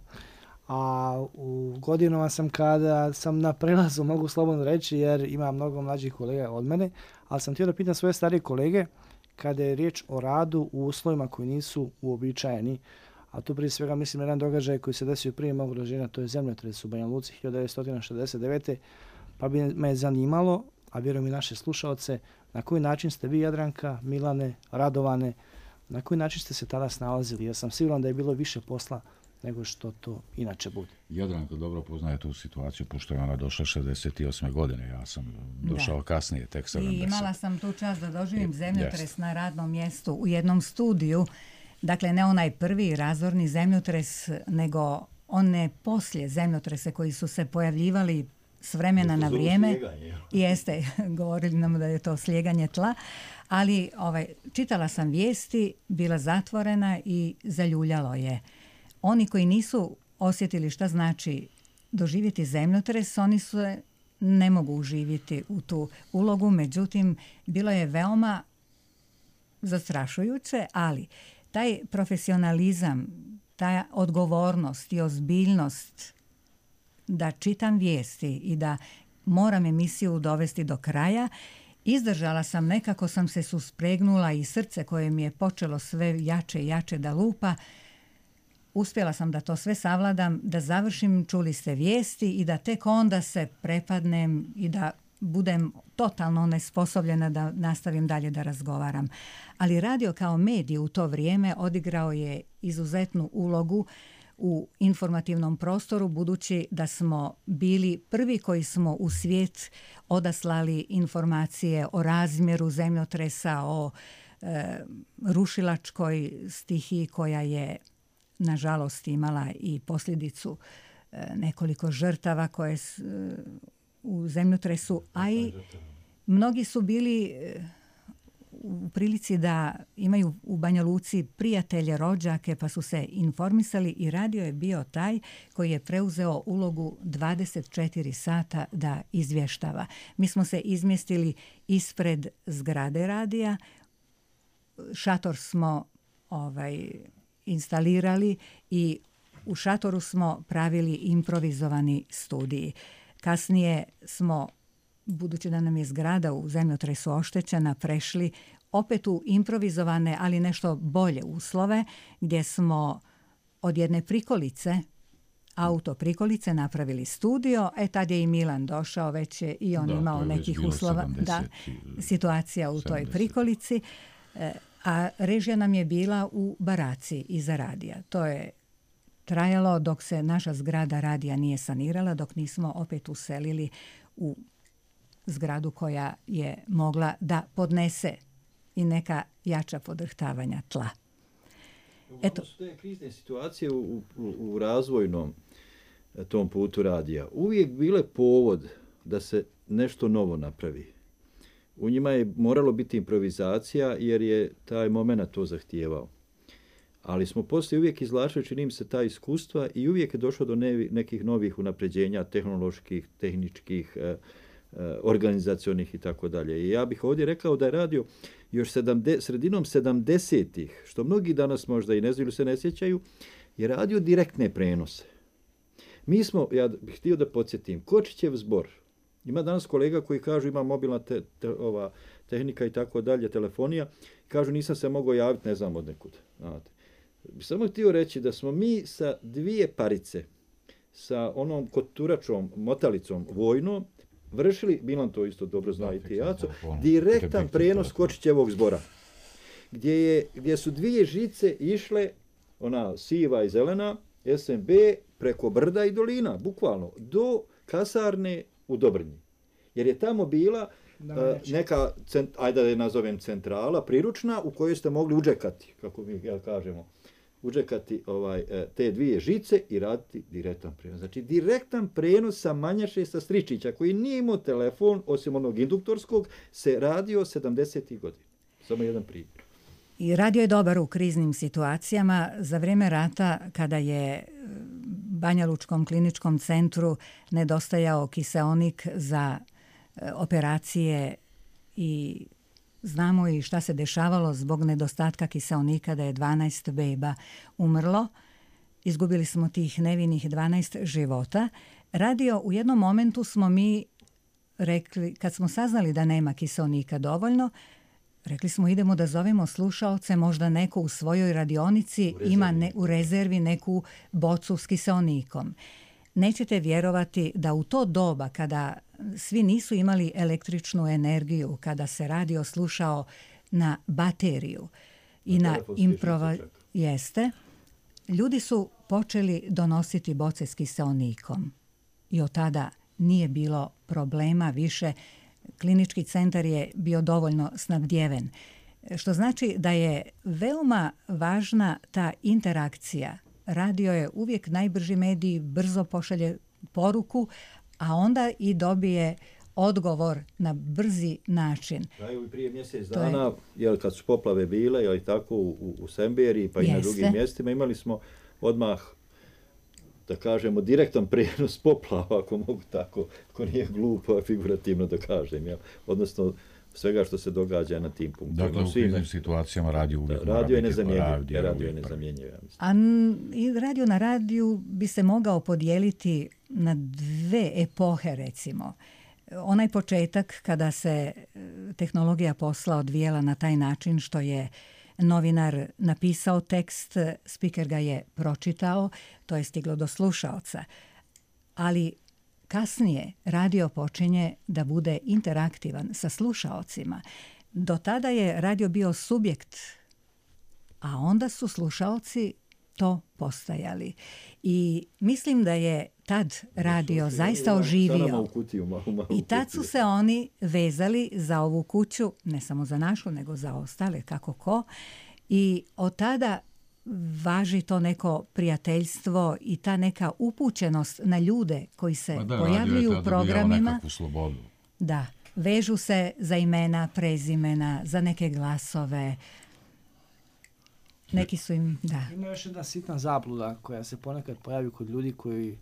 [SPEAKER 5] a u godinama sam kada sam na prelazu, mogu slobodno reći, jer ima mnogo mlađih kolega od mene, ali sam htio da pitam svoje starije kolege kada je riječ o radu u uslovima koji nisu uobičajeni, a tu prije svega mislim na jedan događaj koji se desio prije mog rođenja, to je zemljotres u Banja Luci 1969. Pa bi me zanimalo, a vjerujem i naše slušaoce, na koji način ste vi, Jadranka, Milane, Radovane, na koji način ste se tada snalazili? Ja sam siguran da je bilo više posla nego što to inače bude.
[SPEAKER 1] Jadranka dobro poznaje tu situaciju, pošto je ona došla 68. godine, ja sam došao kasnije, tek 70.
[SPEAKER 2] I imala sam tu čast da doživim zemljotres na radnom mjestu u jednom studiju, dakle ne onaj prvi razorni zemljotres, nego one poslije zemljotrese koji su se pojavljivali s vremena na vrijeme. Jeste, govorili nam da je to slijeganje tla, ali čitala sam vijesti, bila zatvorena i zaljuljalo je. Oni koji nisu osjetili šta znači doživjeti zemljotres, oni se ne mogu uživjeti u tu ulogu, međutim, bilo je veoma zastrašujuće, ali taj profesionalizam, ta odgovornost i ozbiljnost da čitam vijesti i da moram emisiju dovesti do kraja, izdržala sam, nekako sam se suspregnula i srce koje mi je počelo sve jače i jače da lupa, uspjela sam da to sve savladam, da završim, čuli ste vijesti i da tek onda se prepadnem i da budem totalno nesposobljena da nastavim dalje da razgovaram. Ali radio kao medij u to vrijeme odigrao je izuzetnu ulogu u informativnom prostoru, budući da smo bili prvi koji smo u svijet odaslali informacije o razmjeru zemljotresa, o rušilačkoj stihiji koja je nažalost imala i posljedicu nekoliko žrtava koje u zemljotresu, a i mnogi su bili u prilici da imaju u Banja Luci prijatelje, rođake, pa su se informisali i radio je bio taj koji je preuzeo ulogu 24 sata da izvještava. Mi smo se izmjestili ispred zgrade radija, šator smo instalirali i u šatoru smo pravili improvizovani studij. Kasnije smo, budući da nam je zgrada u zemljotresu oštećena, prešli opet u improvizovane, ali nešto bolje uslove, gdje smo od jedne prikolice, auto prikolice, napravili studio. Tad je i Milan došao, već je i on imao nekih uslova. Situacija u toj prikolici. A režija nam je bila u baraci iza radija. To je trajalo dok se naša zgrada radija nije sanirala, dok nismo opet uselili u zgradu koja je mogla da podnese i neka jača podrhtavanja tla.
[SPEAKER 4] Eto. Su te krizne situacije u razvojnom tom putu radija uvijek bile povod da se nešto novo napravi. U njima je moralo biti improvizacija jer je taj moment to zahtijevao. Ali smo poslije uvijek izvlačili, čini mi se, ta iskustva i uvijek je došlo do nekih novih unapređenja tehnoloških, tehničkih, organizacionih i tako dalje. I ja bih ovdje rekao da je radio još sredinom 70-ih, što mnogi danas možda i ne znaju, se ne sjećaju, je radio direktne prenose. Mi smo, ja bih htio da podsjetim, Kočićev zbor. Ima danas kolega koji kažu ima mobilna tehnika i tako dalje, telefonija. Kažu nisam se mogao javiti, ne znam od nekud. Samo htio reći da smo mi sa dvije parice, sa onom koturačom, motalicom vojnom, vršili, Milan to isto dobro zna i ti Jaco, direktan prenos Kočićevog zbora. Gdje su dvije žice išle, ona siva i zelena, SMB preko brda i dolina, bukvalno, do kasarne u Dobrnji. Jer je tamo bila neka, ajde da je nazovem centrala, priručna, u kojoj ste mogli uđekati, kako mi kažemo, uđekati te dvije žice i raditi direktan prenos. Znači, direktan prenos sa Manjaše sa Stričića, koji nije imao telefon, osim onog induktorskog, se radio 70. godina. Samo jedan primjer.
[SPEAKER 2] I radio je dobar u kriznim situacijama. Za vrijeme rata, kada je Banja Lučkom kliničkom centru nedostajao kiseonik za operacije i znamo i šta se dešavalo zbog nedostatka kiseonika, da je 12 beba umrlo. Izgubili smo tih nevinih 12 života. Radio, u jednom momentu smo mi rekli, kad smo saznali da nema kiseonika dovoljno, rekli smo idemo da zovemo slušaoce, možda neko u svojoj radionici ima u rezervi neku bocu s kiseonikom. Nećete vjerovati da u to doba kada svi nisu imali električnu energiju, kada se radio slušao na bateriju i na jeste, ljudi su počeli donositi boce s kiseonikom i od tada nije bilo problema više. Klinički centar je bio dovoljno snabdjeven, što znači da je veoma važna ta interakcija. Radio je uvijek najbrži medij, brzo pošalje poruku, a onda i dobije odgovor na brzi način.
[SPEAKER 4] Evo i prije mjesec dana, kad su poplave bile, tako u Semberiji pa i na drugim mjestima, imali smo odmah, da kažemo, direktan prijenos poplava, ako mogu tako, ako nije glupo, figurativno da kažem, odnosno svega što se događa na tim punktima.
[SPEAKER 1] Dakle, u kriznim situacijama radio uvijek mora
[SPEAKER 4] radio
[SPEAKER 1] biti.
[SPEAKER 4] Radio je nezamjenjiv.
[SPEAKER 2] A radio na radiju bi se mogao podijeliti na dve epohe, recimo. Onaj početak kada se tehnologija posla odvijela na taj način što je novinar napisao tekst, spiker ga je pročitao, to je stiglo do slušaoca. Ali kasnije radio počinje da bude interaktivan sa slušaocima. Do tada je radio bio subjekt, a onda su slušaoci to postajali. I mislim da je tad radio zaista oživio. I tad su se oni vezali za ovu kuću, ne samo za našu, nego za ostale, kako ko. I od tada važi to neko prijateljstvo i ta neka upućenost na ljude koji se pojavljuju u programima. Da, vežu se za imena, prezimena, za neke glasove. Neki su im, da.
[SPEAKER 5] Ima još jedna sitna zabluda koja se ponekad pojavi kod ljudi koji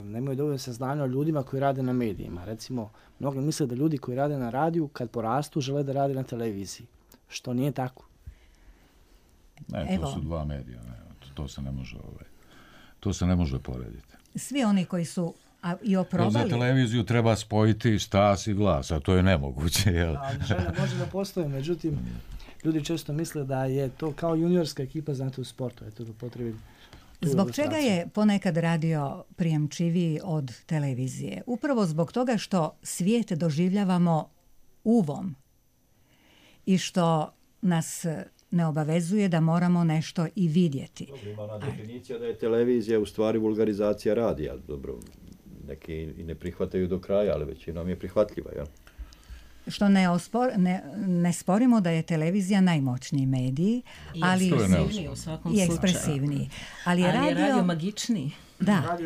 [SPEAKER 5] nemaju dovoljno saznanja o ljudima koji rade na medijima. Recimo, mnogi misle da ljudi koji rade na radiju, kad porastu, žele da rade na televiziji. Što nije tako.
[SPEAKER 1] Ne, to su dva medija. To se ne može porediti.
[SPEAKER 2] Svi oni koji su i oprobali.
[SPEAKER 1] Za televiziju treba spojiti stas i glas, a to je nemoguće.
[SPEAKER 5] Žena može da postoji, međutim, ljudi često misle da je to kao juniorska ekipa, znate, u sportu. Eto, da potrebim.
[SPEAKER 2] Zbog čega je ponekad radio prijemčiviji od televizije? Upravo zbog toga što svijet doživljavamo uvom i što nas ne obavezuje da moramo nešto i vidjeti.
[SPEAKER 4] Dobro, ima ona definicija da je televizija u stvari vulgarizacija radija. Dobro, neki i ne prihvataju do kraja, ali većinom je prihvatljiva, jel?
[SPEAKER 2] Što ne sporimo da je televizija najmoćniji medij, ali
[SPEAKER 3] ekspresivniji u svakom slučaju.
[SPEAKER 2] I ekspresivniji. Ali je
[SPEAKER 3] radio magičniji.
[SPEAKER 2] Da,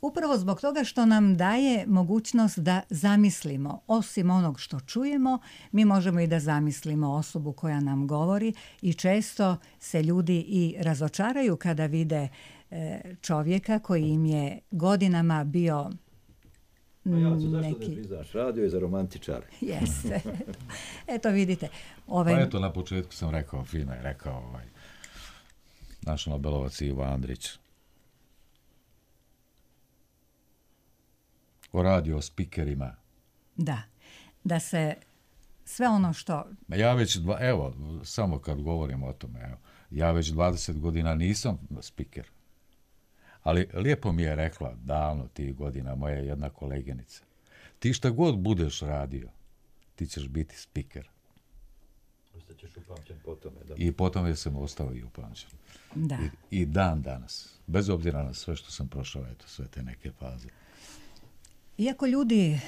[SPEAKER 2] upravo zbog toga što nam daje mogućnost da zamislimo. Osim onog što čujemo, mi možemo i da zamislimo osobu koja nam govori i često se ljudi i razočaraju kada vide čovjeka koji im je godinama bio
[SPEAKER 4] zašto ne priznaš? Radio je za romantičare.
[SPEAKER 2] Jeste. Eto vidite.
[SPEAKER 1] Pa eto, na početku sam rekao, fino je rekao naš Nobelovac Ivo Andrić. O radio spikerima.
[SPEAKER 2] Da se sve ono što...
[SPEAKER 1] Ja već, samo kad govorim o tome, ja već 20 godina nisam spiker. Ali lijepo mi je rekla davno tih godina moja jedna koleginica. Ti šta god budeš radio, ti ćeš biti spiker.
[SPEAKER 4] Ostaćeš upamćen po tome. Da.
[SPEAKER 1] I po tome sam ostao i upamćen.
[SPEAKER 2] Da.
[SPEAKER 1] I dan danas, bez obzira na sve što sam prošao, eto, sve te neke faze.
[SPEAKER 2] Iako ljudi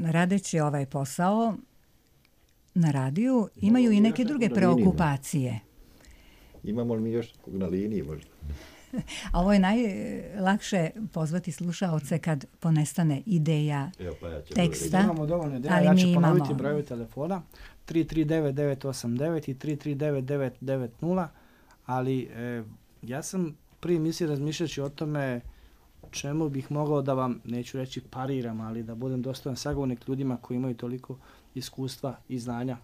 [SPEAKER 2] radeći ovaj posao na radiju imaju i neke druge preokupacije.
[SPEAKER 4] Imamo li mi još nekog na liniji možda?
[SPEAKER 2] A ovo je najlakše pozvati slušaoce kad ponestane ideja teksta.
[SPEAKER 5] Imamo dovoljno ideja,
[SPEAKER 2] ali
[SPEAKER 5] ja ću
[SPEAKER 2] mi
[SPEAKER 5] ponoviti
[SPEAKER 2] imamo
[SPEAKER 5] brojevi telefona 339-989 i 339-990, ali ja sam prije misli razmišljajući o tome čemu bih mogao da vam, neću reći pariram, ali da budem dostojan sagovornik ljudima koji imaju toliko iskustva i znanja.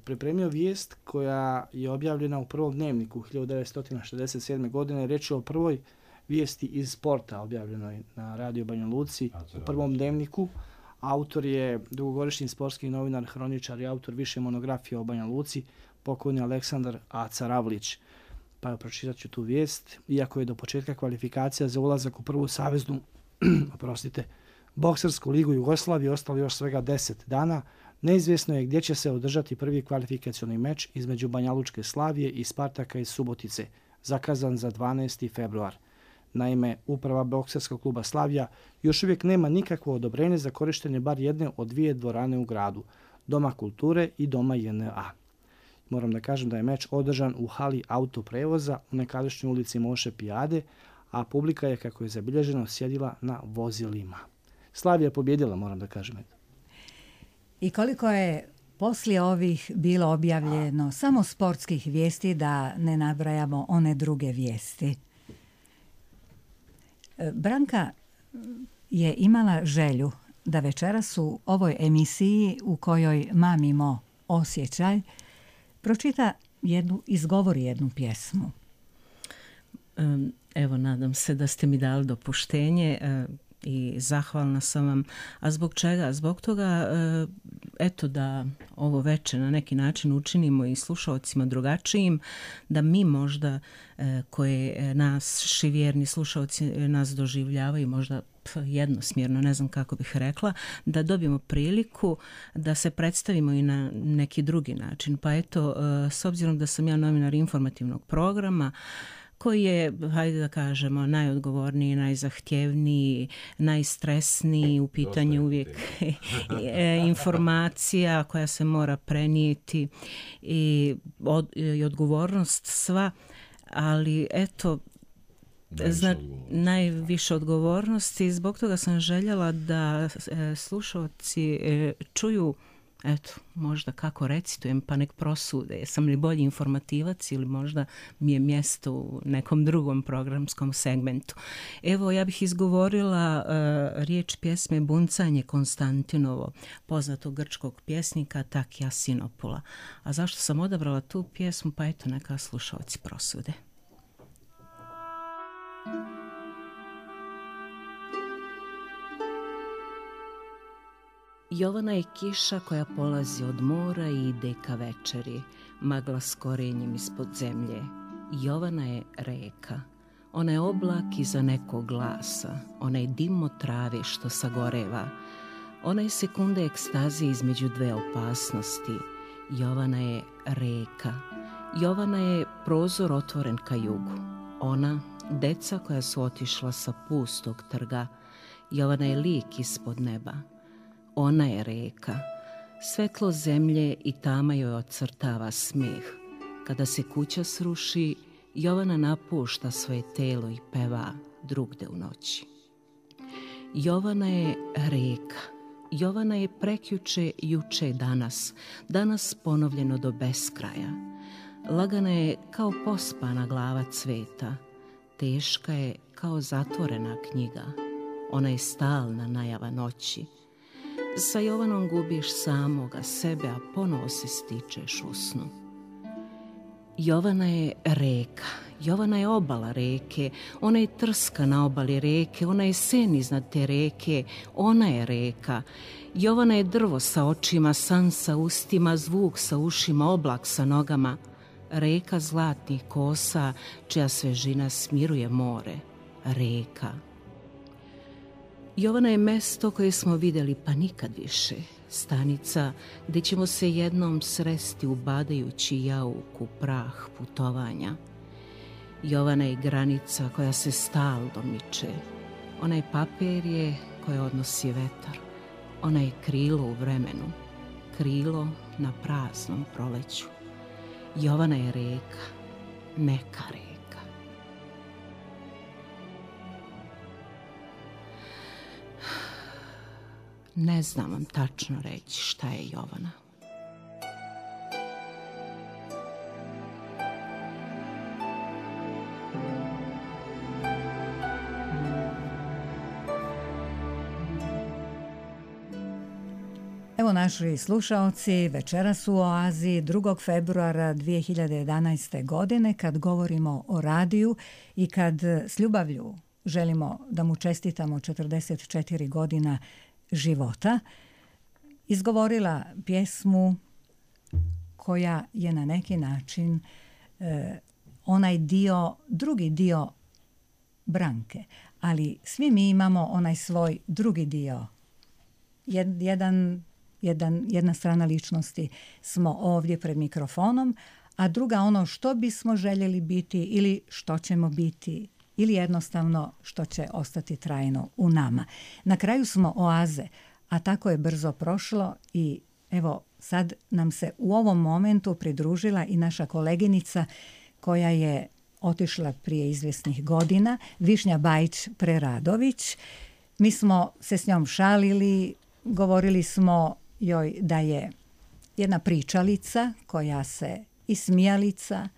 [SPEAKER 5] Pripremio vijest koja je objavljena u prvom dnevniku 1967. godine. Reč je o prvoj vijesti iz sporta objavljenoj na Radio Banja Luci u prvom dnevniku. Autor je dugogodišnji sportski novinar, hroničar i autor više monografija o Banja Luci, pokojni Aleksandar Aca Ravlić. Pa pročitat ću tu vijest. Iako je do početka kvalifikacija za ulazak u prvu saveznu boksersku ligu Jugoslavije ostalo još svega 10 dana, neizvjesno je gdje će se održati prvi kvalifikacioni meč između Banjalučke Slavije i Spartaka iz Subotice, zakazan za 12. februar. Naime, uprava bokserskog kluba Slavija još uvijek nema nikakvo odobrenje za korištenje bar jedne od dvije dvorane u gradu, Doma kulture i Doma JNA. Moram da kažem da je meč održan u hali autoprevoza u nekadašnjoj ulici Moše Pijade, a publika je, kako je zabilježeno, sjedila na vozilima. Slavija je pobjedila, moram da kažem.
[SPEAKER 2] I koliko je poslije ovih bilo objavljeno samo sportskih vijesti, da ne nabrajamo one druge vijesti. Branka je imala želju da večeras u ovoj emisiji u kojoj mamimo osjećaj izgovori jednu pjesmu.
[SPEAKER 3] Evo, nadam se da ste mi dali dopuštenje i zahvalna sam vam. A zbog čega? Zbog toga, eto, da ovo večer na neki način učinimo i slušaocima drugačijim, da mi možda, koje naši vjerni slušaoci nas doživljavaju možda jednosmjerno, ne znam kako bih rekla, da dobijemo priliku da se predstavimo i na neki drugi način. Pa eto, s obzirom da sam ja novinar informativnog programa, koji je, hajde da kažemo, najodgovorniji, najzahtjevniji, najstresniji, u pitanju uvijek informacija koja se mora prenijeti i odgovornost sva, ali eto, najviše odgovornosti. Zbog toga sam željela da slušalci čuju, eto, možda kako recitujem, pa nek prosude. Jesam li bolji informativac ili možda mi je mjesto u nekom drugom programskom segmentu. Evo, ja bih izgovorila riječ pjesme Buncanje Konstantinovo, poznatog grčkog pjesnika Takija Sinopula. A zašto sam odabrala tu pjesmu? Pa eto, neka slušalci prosude. Jovana je kiša koja polazi od mora i ide ka večeri, magla s korenjem ispod zemlje. Jovana je reka, ona je oblak iza nekog glasa, ona je dim od trave što sagoreva, ona je sekunde ekstazije između dve opasnosti. Jovana je reka, Jovana je prozor otvoren ka jugu, ona deca koja su otišla sa pustog trga. Jovana je lik ispod neba. Ona je reka, svetlo zemlje i tama joj ocrtava smeh. Kada se kuća sruši, Jovana napušta svoje telo i peva drugde u noći. Jovana je reka, Jovana je prekjuče, juče, danas ponovljeno do beskraja. Lagana je kao pospana glava cveta, teška je kao zatvorena knjiga. Ona je stalna najava noći. Sa Jovanom gubiš samoga sebe, a ponovo se stičeš u snu. Jovana je reka, Jovana je obala reke, ona je trska na obali reke, ona je sen iznad te reke, ona je reka. Jovana je drvo sa očima, san sa ustima, zvuk sa ušima, oblak sa nogama. Reka zlatnih kosa, čija svežina smiruje more. Reka. Jovana je mesto koje smo vidjeli pa nikad više. stanica gdje ćemo se jednom sresti ubadajući jauk u prah putovanja. Jovana je granica koja se stalno miče. Onaj papir je koje odnosi vetar. Ona je krilo u vremenu, krilo na praznom proleću. Jovana je reka, neka reka. Ne znam vam tačno reći šta je Jovana.
[SPEAKER 2] Evo naši slušaoci, večeras u Oazi 2. februara 2011. godine kad govorimo o radiju i kad s ljubavlju želimo da mu čestitamo 44 godina života, izgovorila pjesmu koja je na neki način onaj dio, drugi dio Branke, ali svi mi imamo onaj svoj drugi dio. Jedna strana ličnosti smo ovdje pred mikrofonom, a druga ono što bismo željeli biti ili što ćemo biti ili jednostavno što će ostati trajno u nama. Na kraju smo Oaze, a tako je brzo prošlo i evo sad nam se u ovom momentu pridružila i naša koleginica koja je otišla prije izvjesnih godina, Višnja Bajić-Preradović. Mi smo se s njom šalili, govorili smo joj da je jedna pričalica koja se i smijalica,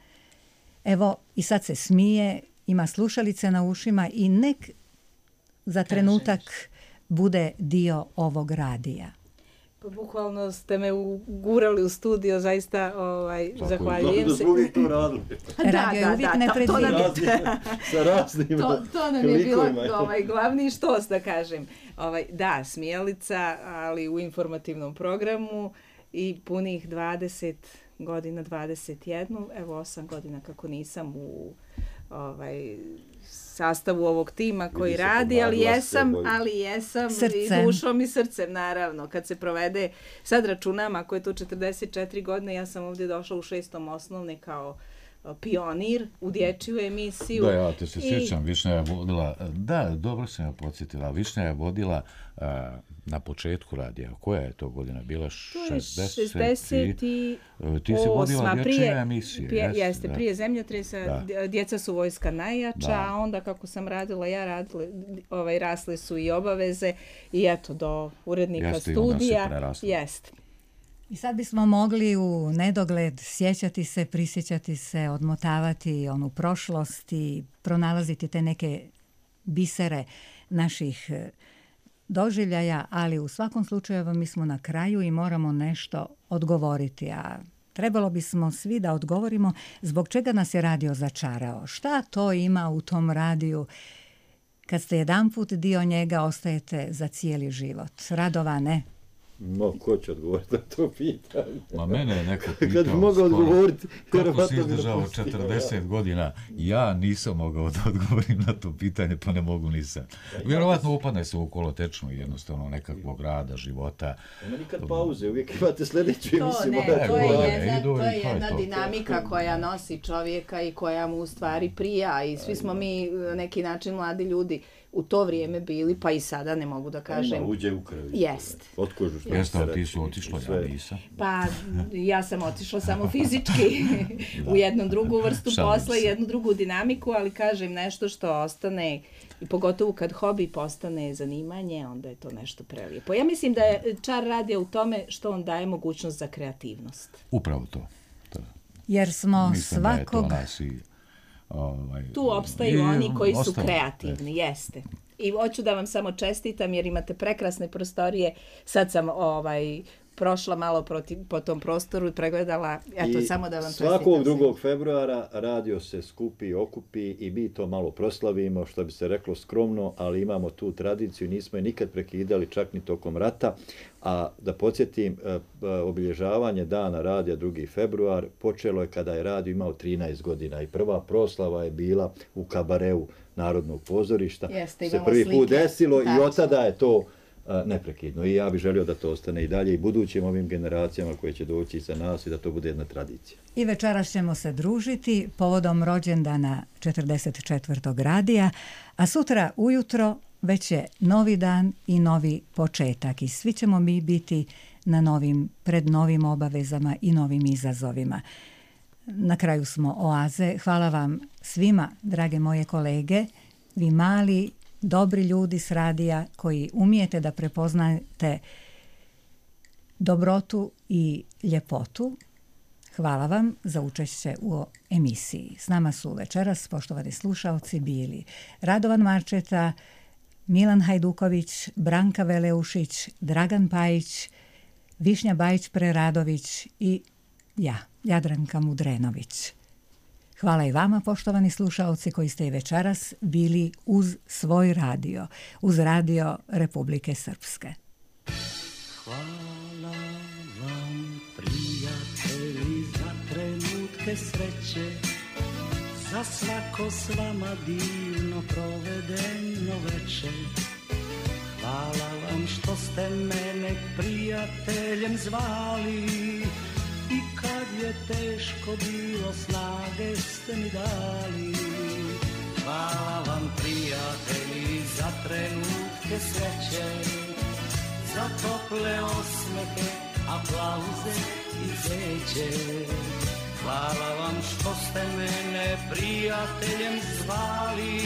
[SPEAKER 2] evo i sad se smije, ima slušalice na ušima i nek za trenutak bude dio ovog radija.
[SPEAKER 8] Pa bukvalno ste me ugurali u studio, zaista zahvaljujem se.
[SPEAKER 4] Da smo uvijek to radili.
[SPEAKER 2] Radio je uvijek nepredvidljiv.
[SPEAKER 4] Sa raznim
[SPEAKER 8] to nam je bilo glavni štos, da kažem. Da, smijalica, ali u informativnom programu i punih 20 godina, 21, evo 8 godina kako nisam u sastavu ovog tima koji radi, ali jesam i dušom i srcem, naravno. Kad se provede, sad računam, ako je to 44 godine, ja sam ovdje došla u 6. osnovne kao pionir u dječju emisiju.
[SPEAKER 1] Da, ja te se sjećam, Višnja je vodila, da, dobro sam ja podsjetila, Višnja je vodila na početku radija. Koja je to godina bila?
[SPEAKER 8] 60
[SPEAKER 1] ti si vodila dječje emisije.
[SPEAKER 8] Jeste, prije Zemljotresa, djeca su vojska najjača, a onda kako sam radila, rasle su i obaveze i eto, do urednika studija. Jeste.
[SPEAKER 2] I sad bismo mogli u nedogled sjećati se, prisjećati se, odmotavati onu prošlost i pronalaziti te neke bisere naših doživljaja, ali u svakom slučaju mi smo na kraju i moramo nešto odgovoriti, a trebalo bismo svi da odgovorimo zbog čega nas je radio začarao. Šta to ima u tom radiju? Kad ste jedanput dio njega, ostajete za cijeli život. Radovane?
[SPEAKER 4] Ko će odgovoriti na to pitanje?
[SPEAKER 1] Ma mene je neko pitao.
[SPEAKER 4] Kad bi mogao odgovoriti...
[SPEAKER 1] Kako si izdržao 40 godina? Ja nisam mogao da odgovorim na to pitanje, pa ne mogu nisam. Vjerovatno upadne se u kolotečnu jednostavno nekakvog rada, života.
[SPEAKER 4] Nema nikad pauze, uvijek imate sljedeću emisiju.
[SPEAKER 8] To je jedna dinamika koja nosi čovjeka i koja mu u stvari prija i svi smo mi na neki način mladi ljudi u to vrijeme bili, pa i sada ne mogu da kažem.
[SPEAKER 4] Uđe u krvi.
[SPEAKER 8] Jest.
[SPEAKER 1] Jeste, ali ti su otišla, ja nisam.
[SPEAKER 8] Pa ja sam otišla samo fizički u jednu drugu vrstu posla i jednu drugu dinamiku, ali kažem nešto što ostane, i pogotovo kad hobi postane zanimanje, onda je to nešto prelijepo. Ja mislim da je čar radija u tome što on daje mogućnost za kreativnost.
[SPEAKER 1] Upravo to.
[SPEAKER 2] Jer smo
[SPEAKER 1] mislim
[SPEAKER 2] svakog...
[SPEAKER 1] Da je to nas i,
[SPEAKER 8] tu opstaju oni koji su kreativni, jeste. I hoću da vam samo čestitam jer imate prekrasne prostorije. Sad sam prošla malo po tom prostoru i pregledala. Eto, samo da vam čestitam.
[SPEAKER 4] Svakog 2. februara radio se skupi, okupi i mi to malo proslavimo, što bi se reklo skromno, ali imamo tu tradiciju, nismo je nikad prekidali, čak ni tokom rata. A da podsjetim, obilježavanje dana radija 2. februar počelo je kada je radio imao 13 godina i prva proslava je bila u kabareu Narodnog pozorišta.
[SPEAKER 8] Jeste,
[SPEAKER 4] se prvi put desilo i od tada je to neprekidno. I ja bih želio da to ostane i dalje i budućim ovim generacijama koje će doći iza nas i da to bude jedna tradicija.
[SPEAKER 2] I večeras ćemo se družiti povodom rođendana 44. radija, a sutra ujutro već je novi dan i novi početak i svi ćemo mi biti pred novim obavezama i novim izazovima. Na kraju smo oaze. Hvala vam svima, drage moje kolege, vi mali, dobri ljudi s radija koji umijete da prepoznate dobrotu i ljepotu. Hvala vam za učešće u emisiji. S nama su večeras, poštovani slušaoci, bili Radovan Marčeta, Milan Hajduković, Branka Veleušić, Dragan Pajić, Višnja Bajić-Preradović i ja, Jadranka Mudrenović. Hvala i vama, poštovani slušaoci, koji ste i večeras bili uz svoj radio, uz radio Republike Srpske.
[SPEAKER 9] Hvala vam, prijatelji, za trenutke sreće, za svako s vama divno provedeno večer. Hvala vam što ste mene prijateljem zvali i kad je teško bilo snage ste mi dali. Hvala vam, prijatelji, za trenutke sreće, za tople osmehe, aplauze i zeće. Hvala vam što ste mene prijateljem zvali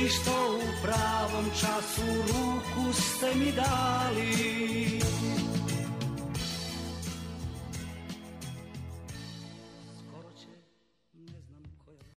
[SPEAKER 9] i što u pravom času ruku ste mi dali.